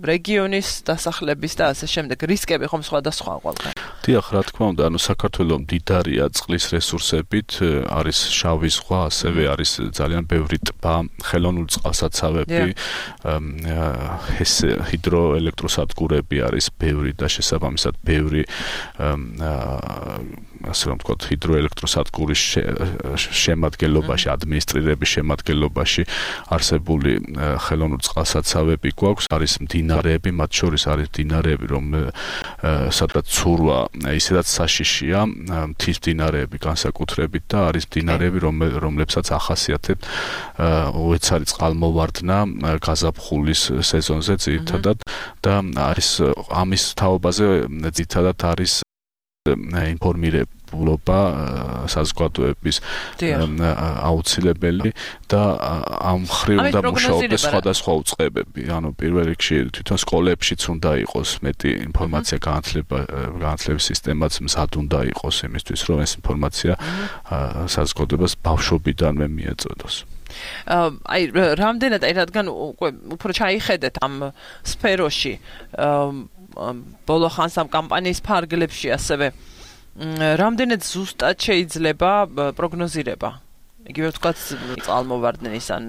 რეგიონის დასახლების და ასე შემდეგ რისკები ხომ სხვადასხვა ყველგან. დიახ, რა თქმა უნდა, ანუ საქართველო მდიდარია წყლის რესურსებით, არის შავი ზღვა, ასევე არის ძალიან ბევრი ტბა, ხელოვნური წყალსაცავები, ეს ჰიდროელექტროსადგურები არის ბევრი და შესაბამისად ბევრი ასე რომ ვთქვათ, ჰიდროელექტროსადგურის შემადგენლობაში, ადმინისტრირების შემადგენლობაში არსებული ხელოვნური წყალსაცავები გვაქვს, არის მდინარეები, მათ შორის არის მდინარეები, რომ სადაც ცურვა ისედაც საშიშია, მთის მდინარეები განსაკუთრებით და არის მდინარეები, რომლებსაც ახასიათებთ უეცარი წყალმოვარდნა გაზაფხულის სეზონზე ძირითადად და არის ამის თაობაზე ძირითადად არის ინფორმირებულობა საზოგადოების აუცილებელი და ამ მხრივ უნდა მუშაობდეს სხვადასხვა უწყებები. ანუ პირველ რიგში თვითონ სკოლებშიც უნდა იყოს მეტი ინფორმაცია განათლების სისტემაც მზად უნდა იყოს იმისთვის, რომ ეს ინფორმაცია საზოგადოებას ბავშვობიდანვე მიეწოდოს. აი რამდენად აი რადგან უფრო ჩაიხედეთ ამ სფეროში ბოლო ხანს ამ კამპანიის ფარგლებში ასევე რამდენად ზუსტად შეიძლება პროგნოზირება იგივე ვთქვათ წყალმოვარდნის ან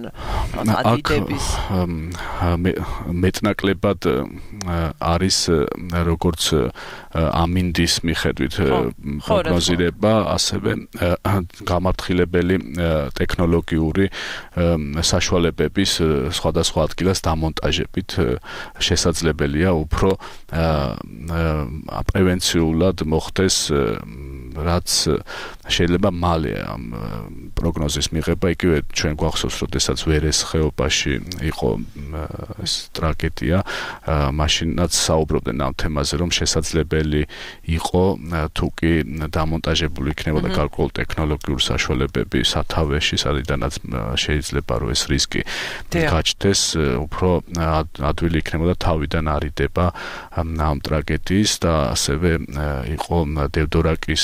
ადიდების მეტნაკლებად არის როგორც ამინდის მიხედვით პროგნოზირება, ასევე გამაფრთხილებელი ტექნოლოგიური საშუალებების სხვადასხვა ადგილას დამონტაჟებით შესაძლებელია უფრო პრევენციულად მოხდეს რაც შეიძლება მალე ამ პროგნოზის მიღება, იგივე ჩვენ გვახსოვს, როდესაც ვერეს ხეობაში იყო ეს ტრაგედია, მაშინაც საუბრობდნენ ამ თემაზე, რომ შესაძლებელი იყო თუ კი დამონტაჟებული იქნებოდა გარკვეული ტექნოლოგიური საშუალებები სათავეში, სადიდანაც შეიძლება რომ ეს რისკი გაჩნდეს, უფრო ადვილი იქნებოდა თავიდან არიდება ამ ტრაგედიის და ასევე იყო დევდორაკის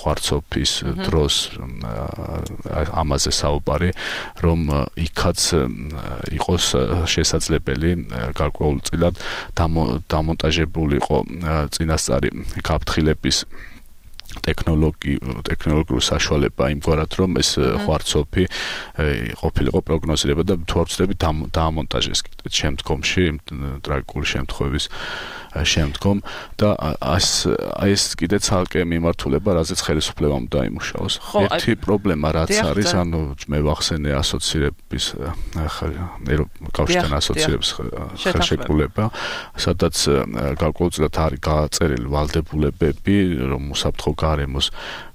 ხვარცოფის დროს ამაზე საუბარი, რომ იქაც იყოს შესაძლებელი გარკვეულწილად დამონტაჟებულიყო წინასწარი გაფრთხილების ტექნოლოგიური საშუალება იმგვარად, რომ ეს ხვარცოფი ყოფილიყო პროგნოზირება და თუ არ ვცდები დაამონტაჟეს შემდგომში ტრაგიკული შემთხვევების შემდგომ და ეს ეს კიდე ცალკე მიმართულება, რაზეც ხელისუფლებამ დაიმუშაოს. ერთი პრობლემა რაც არის, ანუ მე ვახსენე ასოცირების კავშირთან ასოცირების ხელშეკრულება, სადაც გარკვეულწილად არის გაწერილი ვალდებულებები, რომ უსაფრთხო გარემოს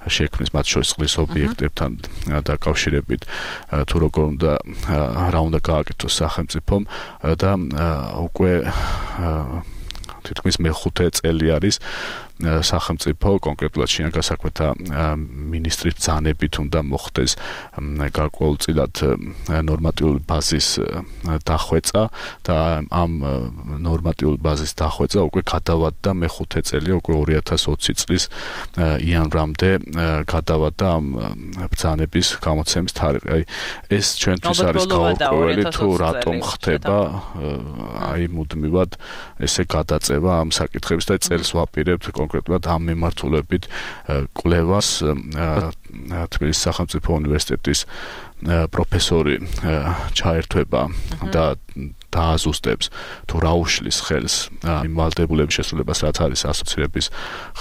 შექმნის მათ შორის წყლის ობიექტებთან დაკავშირებით, თუ როგორ უნდა რა უნდა გააკეთოს სახელმწიფომ და უკვე თითქმის მეხუთე წელი არის სახელმწიფო კონკრეტულად შინაგან საქმეთა მინისტრის ბრძანებით უნდა მოხდეს გარკვეულწილად ნორმატიული ბაზის დახვეწა და ამ ნორმატიული ბაზის დახვეწა უკვე გადავადდა მეხუთე წელია, უკვე ორი ათას ოცი წლის იანვრამდე გადავადდა ამ ბრძანების გამოცემის თარიღი. აი ეს ჩვენთვის არის გაურკვეველი, თუ რატომ ხდება აი მუდმივად ესე გადაწევა ამ საკითხების და წელს ვაპირებთ კონკრეტულად ამ მიმართულებით კვლევას თბილისის სახელმწიფო უნივერსიტეტის პროფესორი ჩაერთვება და დააზუსტებს თუ რა უშლის ხელს იმ ვალდებულების შესრულებას, რაც არის ასოცირების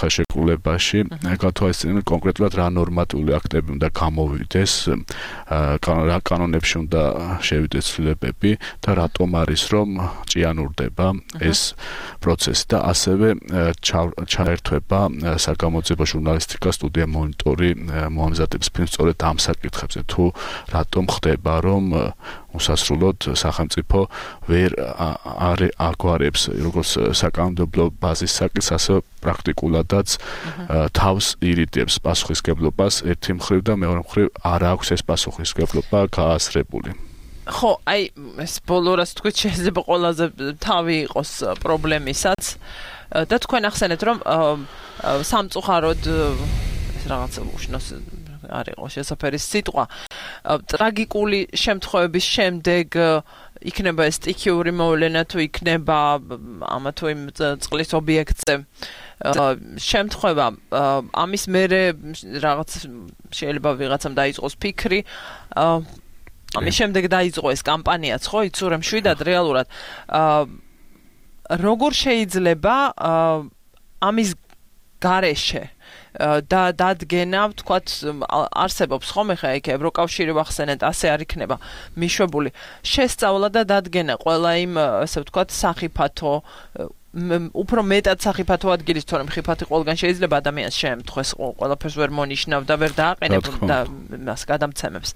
ხელშეკრულებაში, გათვალისწინებენ კონკრეტულად რა ნორმატიული აქტები უნდა გამოვიდეს, რა კანონებში უნდა შევიდეს ცვლილებები და რატომ არის რომ ჭიანურდება ეს პროცესი და ასევე ჩაერთვება საგამოძიებო ჟურნალისტიკა სტუდია მონიტორი მოამზადებს ფილმს სწორედ ამ საკითხებზე, თუ რატომ ხდება რომ უსასრულოდ სახელმწიფო ვერ აგვარებს როგორც საკანონმდებლო ბაზის საკითხს, ასე პრაქტიკულადაც თავს ირიდებს პასუხისგებლობას ერთი მხრივ და მეორე მხრივ არ აქვს ეს პასუხისგებლობა გააზრებული. ხო, აი ეს ბოლო რას თქვით, შეიძლება ყველაზე თავი იყოს პრობლემისაც და თქვენ ახსენეთ რომ სამწუხაროდ ეს რაღაცა უშნოს არ იყო შესაძფერი სიტყვა. ტრაგიკული შემთხვევების შემდეგ იქნება ეს სტიქიური მოვლენა თუ იქნება ამა თუ იმ წყლის ობიექტზე შემთხვევა, ამის მერე რაღაც შეიძლება ვიღაცამ დაიწყოს ფიქრი, ამის შემდეგ დაიწყო ეს კამპანიაც, ხო, იცურე მშვიდად რეალურად. როგორ შეიძლება ამის გარეშე და დადგენა, ვთქვათ, არსებობს ხომ ხა იქ ევროკავშირი ვახსენეთ, ასე არ იქნება მიშვებული შესწავლა და დადგენა ყველა იმ, ასე ვთქვათ, სახიფათო უფრო მეტად სახიფათო ადგილის, თორემ ხიფათი ყველგან შეიძლება ადამიანს შეემთხვეს, ყველაფერს ვერ მონიშნავ და ვერ დააყენებ და მას გადამცემებს.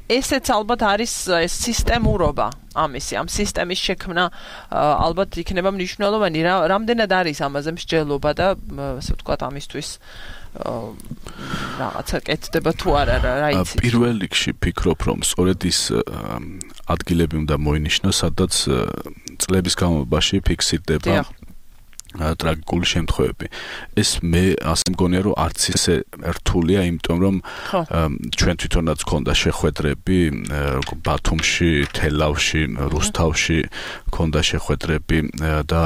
ესეც ალბათ არის ეს სისტემურობა ამისი, ამ სისტემის შექმნა ალბათ იქნება მნიშვნელოვანი. რამდენად არის ამაზე მსჯელობა და ასე ვთქვათ ამისთვის რაღაცა კეთდება თუ არა, რა იცით? პირველ რიგში ფიქრობ, რომ სწორედ ის ადგილები უნდა მოინიშნოს, სადაც წლების განმავლობაში ფიქსირდება ტრაგიკული შემთხვევები. ეს მე ასე მგონია, რომ არც ისე რთულია, იმიტომ რომ ჩვენ თვითონაც გქონდა შეხვედრები ბათუმში, თელავში, რუსთავში გქონდა შეხვედრები და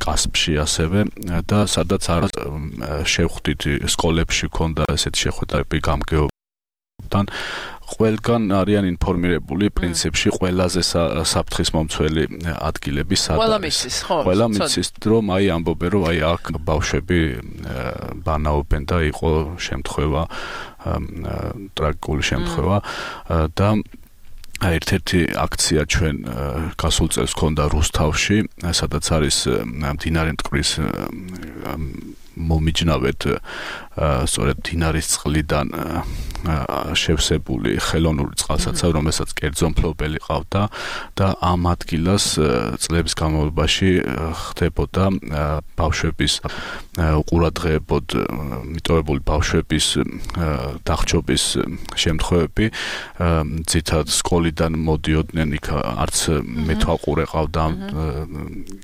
კასპში ასევე და სადაც არის შევხვდით სკოლებში გქონდა ესეთი შეხვედრები გამგეობთან. ყველგან არიან ინფორმირებული პრინციპში ყველაზე საფრთხის მომცველი ადგილები სადაც. ყველა მიცის, ხო? ყველა მიცის, რომ აი ამბობენ, რომ აი აქ ბავშვები ბანაობენ და იყო შემთხვევა, ტრაგიკული შემთხვევა და ერთ-ერთი აქცია ჩვენ გასულ წელს გქონდა რუსთავში, სადაც არის მდინარე მტკვრის მომიჯნავედ სწორედ მდინარის წყლიდან შევსებული ხელოვნური წყალსაცავი, რომელსაც კერძო მფლობელი ყავდა და ამ ადგილას წლების განმავლობაში ხდებოდა ბავშვების უყურადღებოდ მიტოვებული ბავშვების დახჭობის შემთხვევები. ძირითადად სკოლიდან მოდიოდნენ, იქ არც მეთვალყურე ყავდა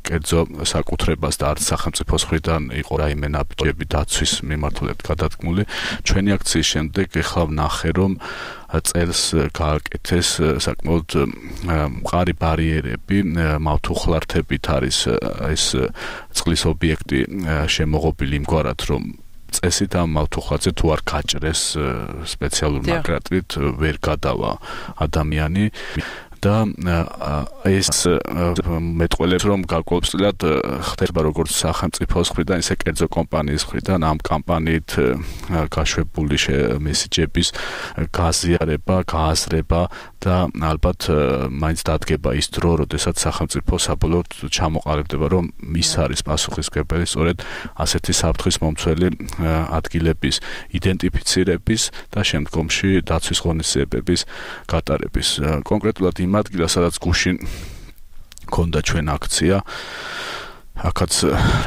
კერძო საკუთრებას და არც სახელმწიფოს მხრიდან იყო რაიმე ნაბიჯები დაცვის მიმართულებით გადადგმული. ჩვენი აქციის შემდეგ ეხლა ვნახე, რომ წელს გააკეთეს საკმაოდ მყარი ბარიერები, მავთუხლართებით არის ეს წყლის ობიექტი შემოღობილი იმგვარად, რომ წესით ამ მავთუხლარზე თუ არ გაჭრეს სპეციალურ ნაკრატით ვერ გადავა ადამიანი და ეს მეტყველებს რომ გარკვეულწილად ხდება როგორც სახელმწიფოს მხრიდან ისე კერძო კომპანიის მხრიდან ამ კამპანიით გაშვებული მესიჯების გაზიარება, გააზრება და ალბათ მაინც დადგება ის დრო, როდესაც სახელმწიფო საბოლოოდ ჩამოყალიბდება, რომ ის არის პასუხისმგებელი სწორედ ასეთი საფრთხის მომცველი ადგილების იდენტიფიცირების და შემდგომში დაცვის ღონისძიებების გატარების. კონკრეტულად იმ ადგილას, სადაც გუშინ ქონდა ჩვენ აქცია, აქაც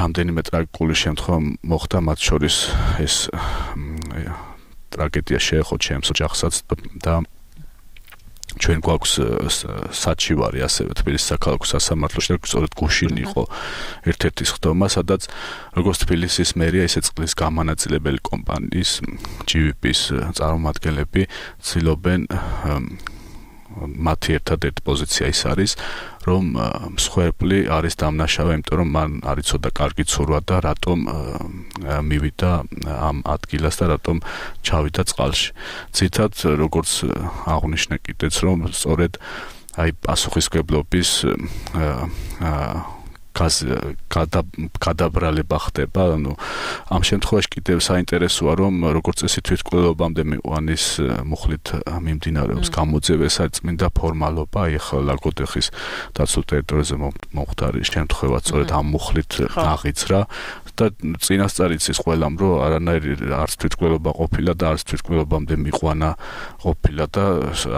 რამდენიმე ტრაგიკული შემთხვევა მოხდა, მათ შორის ეს ტრაგედია შეეხო ჩემს ოჯახსაც და ჩვენ გვაქვს საჩივარი ასევე თბილისის საქალაქო სასამართლოში, სწორედ გუშინ იყო ერთ-ერთი სხდომა, სადაც როგორც თბილისის მერია, ისე წყლის გამანაწილებელი კომპანიის ჯი ვი პის წარმომადგენლები ცდილობენ მათი ერთადერთი პოზიცია ის არის, რომ მსხვერპლი არის დამნაშავე, იმიტომ რომ მან არ იცოდა კარგი ცურვა და რატომ მივიდა ამ ადგილას და რატომ ჩავიდა წყალში. ძირითადად როგორც აღვნიშნე კიდეც, რომ სწორედ აი პასუხისმგებლობის გადაბრალება ხდება, ანუ ამ შემთხვევაში კიდევ საინტერესოა, რომ როგორც წესი თვითმკვლელობამდე მიყვანის მუხლით მიმდინარეობს გამოძიება, ეს არის წმინდა ფორმალობა, ახლა ლაგოდეხის დაცულ ტერიტორიაზე მომხდარი შემთხვევა სწორედ ამ მუხლით აღიძრა და წინასწარ იცის ყველამ, რომ არანაირი არც თვითმკვლელობა ყოფილა და არც თვითმკვლელობამდე მიყვანა ყოფილა და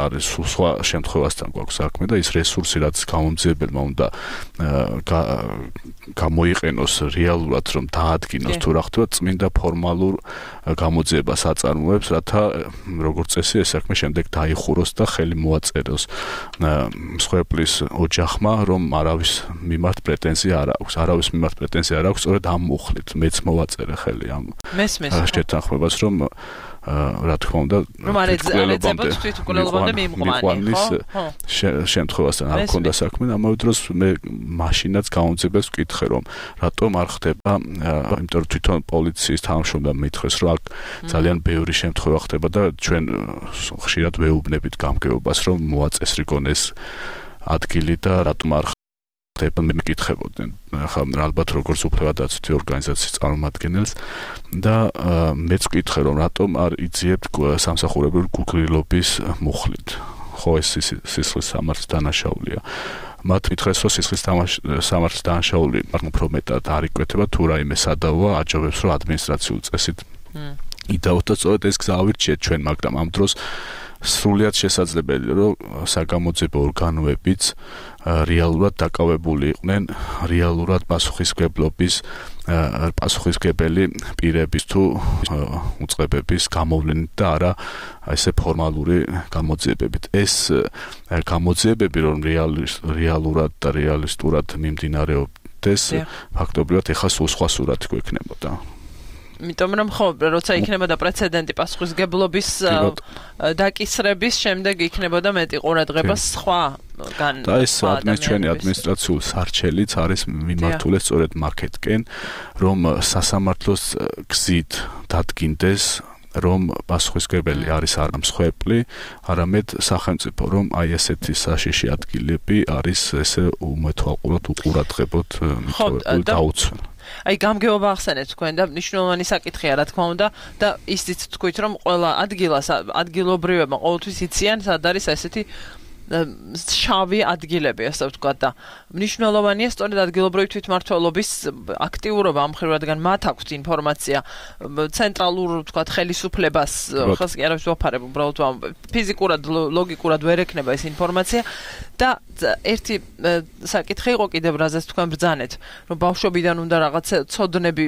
არის სხვა შემთხვევასთან გვაქვს საქმე და ის რესურსი, რაც გამომძიებელმა უნდა გამოიყენოს რეალურად, რომ დაადგინოს თუ რა ხდება, წმინდა ფორმალურ გამოძიებას აწარმოებს, რათა როგორც წესი ეს საქმე შემდეგ დაიხუროს და ხელი მოაწეროს მსხვერპლის ოჯახმა, რომ არავის მიმართ პრეტენზია არ აქვს, არავის მიმართ პრეტენზია არ აქვს, სწორედ ამ მუხლით მეც მოვაწერე ხელი ამ შეთანხმებას, რომ რა თქმა უნდა თვითმკვლელობამდე მიყვანის შემთხვევასთან არ მქონდა საქმე, ამავე დროს მე მაშინაც გამოძიებას ვკითხე, რომ რატომ არ ხდება, იმიტომ რომ თვითონ პოლიციის თანამშრომლმა მითხრეს, რომ აქ ძალიან ბევრი შემთხვევა ხდება და ჩვენ ხშირად ვეუბნებით გამგეობას, რომ მოაწესრიგონ ეს ადგილი და რატომ არ მე მეკითხებოდნენ, ახლა ალბათ როგორც უფლებადაცვითი ორგანიზაციის წარმომადგენელს და მეც ვკითხე, რომ რატომ არ იძიებთ სამსახურებრივ გუგრილობის მუხლით. ხო, ეს სისხლის სამართლის დანაშაულია. მათ მითხრეს, რომ სისხლის სამართლის დანაშაული უფრო მეტად არ იკვეთება, თუ რაიმე სადავოა, აჯობებს, რომ ადმინისტრაციულ წესით იდაოთ და სწორედ ეს გზა ავირჩიეთ ჩვენ, მაგრამ ამ დროს სრულიად შესაძლებელია, რომ საგამოძიებო ორგანოებიც რეალურად დაკავებული იყვნენ რეალურად პასუხისმგებლობის პასუხისმგებელი პირების თუ უწყებების გამოვლენით და არა ესე ფორმალური გამოძიებებით. ეს გამოძიებები რომ რეალურად და რეალისტურად მიმდინარეობდეს, ფაქტობრივად ეხლა სულ სხვა სურათი გვექნებოდა. იმიტომ რომ ხო, როცა იქნებოდა პრეცედენტი პასუხისმგებლობის დაკისრების, შემდეგ იქნებოდა მეტი ყურადღება სხვაგან. და ეს ჩვენი ადმინისტრაციული სარჩელიც არის მიმართული სწორედ მაქეთკენ, რომ სასამართლოს გზით დადგინდეს, რომ პასუხისმგებელი არის არა მსხვერპლი, არამედ სახელმწიფო, რომ აი ესეთი საშიში ადგილები არის ესე უმეთვალყურად უყურადღებოდ დაუცვენ. აი გამგეობა ახსენეთ თქვენ და მნიშვნელოვანი საკითხია, რა თქმა უნდა, და ისიც თქვით, რომ ყველა ადგილას ადგილობრივებმა ყოველთვის იციან, სად არის ესეთი შავი ადგილები, ასე ვთქვათ, და მნიშვნელოვანია სწორედ ადგილობრივი თვითმმართველობის აქტიურობა ამ მხრივ, რადგან მათ აქვთ ინფორმაცია ცენტრალურ, ვთქვათ, ხელისუფლებას, ხალხს კი არავის ვაფარებ, უბრალოდ ფიზიკურად, ლოგიკურად ვერ ექნება ეს ინფორმაცია და ერთი საკითხი იყო კიდევ, რაზეც თქვენ ბრძანეთ, რომ ბავშვობიდან უნდა რაღაც ცოდნები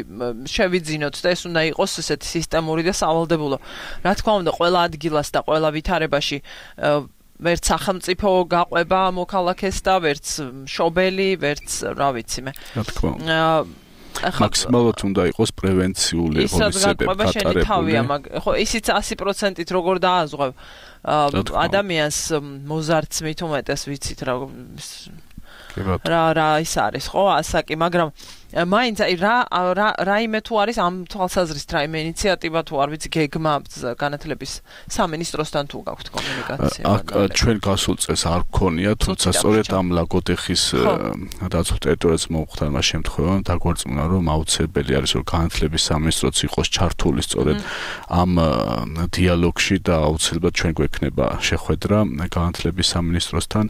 შევიძინოთ და ეს უნდა იყოს ესეთი სისტემური და სავალდებულო. რა თქმა უნდა, ყველა ადგილას და ყველა ვითარებაში ვერც სახელმწიფო გაყვება მოქალაქეს და ვერც მშობელი, ვერც რა ვიცი მე. რა თქმა უნდა. მაქსიმალურად უნდა იყოს პრევენციული ღონისძიებები გატარებული. ხო, ისიც ასი პროცენტით როგორ დააზღვევ ადამიანს მოზარდს მით უმეტეს ვიცით რა რა რა ის არის, ხო, ასაკი, მაგრამ მაინც აი რა რაიმე თუ არის ამ თვალსაზრისით რაიმე ინიციატივა თუ არ ვიცი გეგმა განათლების სამინისტროსთან თუ გაქვთ კომუნიკაცია? აქ ჩვენ გასულ წელს არ გქონია, თუმცა სწორედ ამ ლაგოდეხის დაცულ ტერიტორიაზე მომხდარმა შემთხვევამ დაგვარწმუნა, რომ აუცილებელი არის რომ განათლების სამინისტროც იყოს ჩართული სწორედ ამ დიალოგში და აუცილებლად ჩვენ გვექნება შეხვედრა განათლების სამინისტროსთან,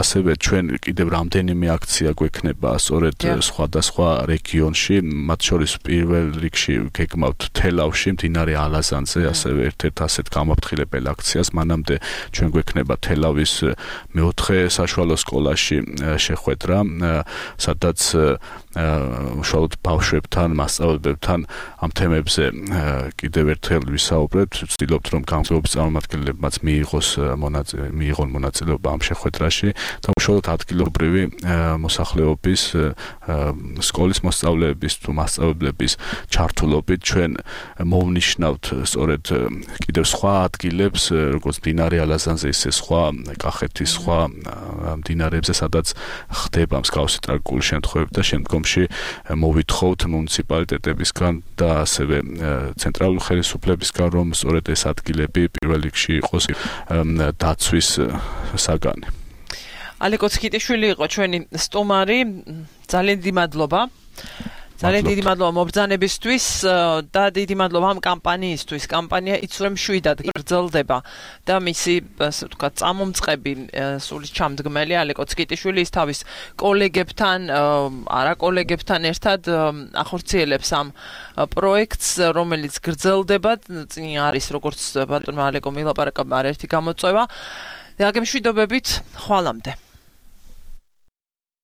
ასევე ჩვენ კიდევ რამდენიმე აქცია გვექნება სწორედ სხვადასხვა რეგიონში, მათ შორის პირველ რიგში გეგმავთ თელავში, მდინარე ალაზანზე, ასევე ერთ-ერთ ასეთ გამაფრთხილებელ აქციას. მანამდე ჩვენ გვექნება თელავის მეოთხე საშუალო სკოლაში შეხვედრა, სადაც უშუალოდ ბავშვებთან, მასწავლებლებთან ამ თემებზე კიდევ ერთხელ ვისაუბრებთ. ვცდილობთ, რომ განათლების წარმომადგენლებმაც მიიღოს მონაწილე, მიიღონ მონაწილეობა ამ შეხვედრაში და უშუალოდ ადგილობრივი მოსახლეობის სკოლის მოსწავლეების თუ მასწავლებლების ჩართულობით ჩვენ მოვნიშნავთ სწორედ კიდევ სხვა ადგილებს, როგორც მდინარე ალაზანზე, ისე სხვა კახეთის სხვა მდინარეებზე, სადაც ხდება მსგავსი ტრაგიკული შემთხვევები და შემდგომში მოვითხოვთ მუნიციპალიტეტებისგან და ასევე ცენტრალური ხელისუფლებისგან, რომ სწორედ ეს ადგილები პირველ რიგში იყოს დაცვის საგანი. ალეკო ცხიტიშვილი იყო ჩვენი სტუმარი. ძალიან დიდი მადლობა. ძალიან დიდი მადლობა მობრძანებისთვის და დიდი მადლობა ამ კამპანიისთვის. კამპანია იცვლებ შვიდად გრძელდება და მისი, ასე ვთქვათ, წამომწყები სული ჩამდგმელი ალეკო ცხიტიშვილი ის თავის კოლეგებთან, არა კოლეგებთან ერთად ახორციელებს ამ პროექტს, რომელიც გრძელდება. წინ არის როგორც ბატონმა ალეკომ ილაპარაკა არაერთი გამოწვევა. და გემშვიდობებით, ხვალამდე.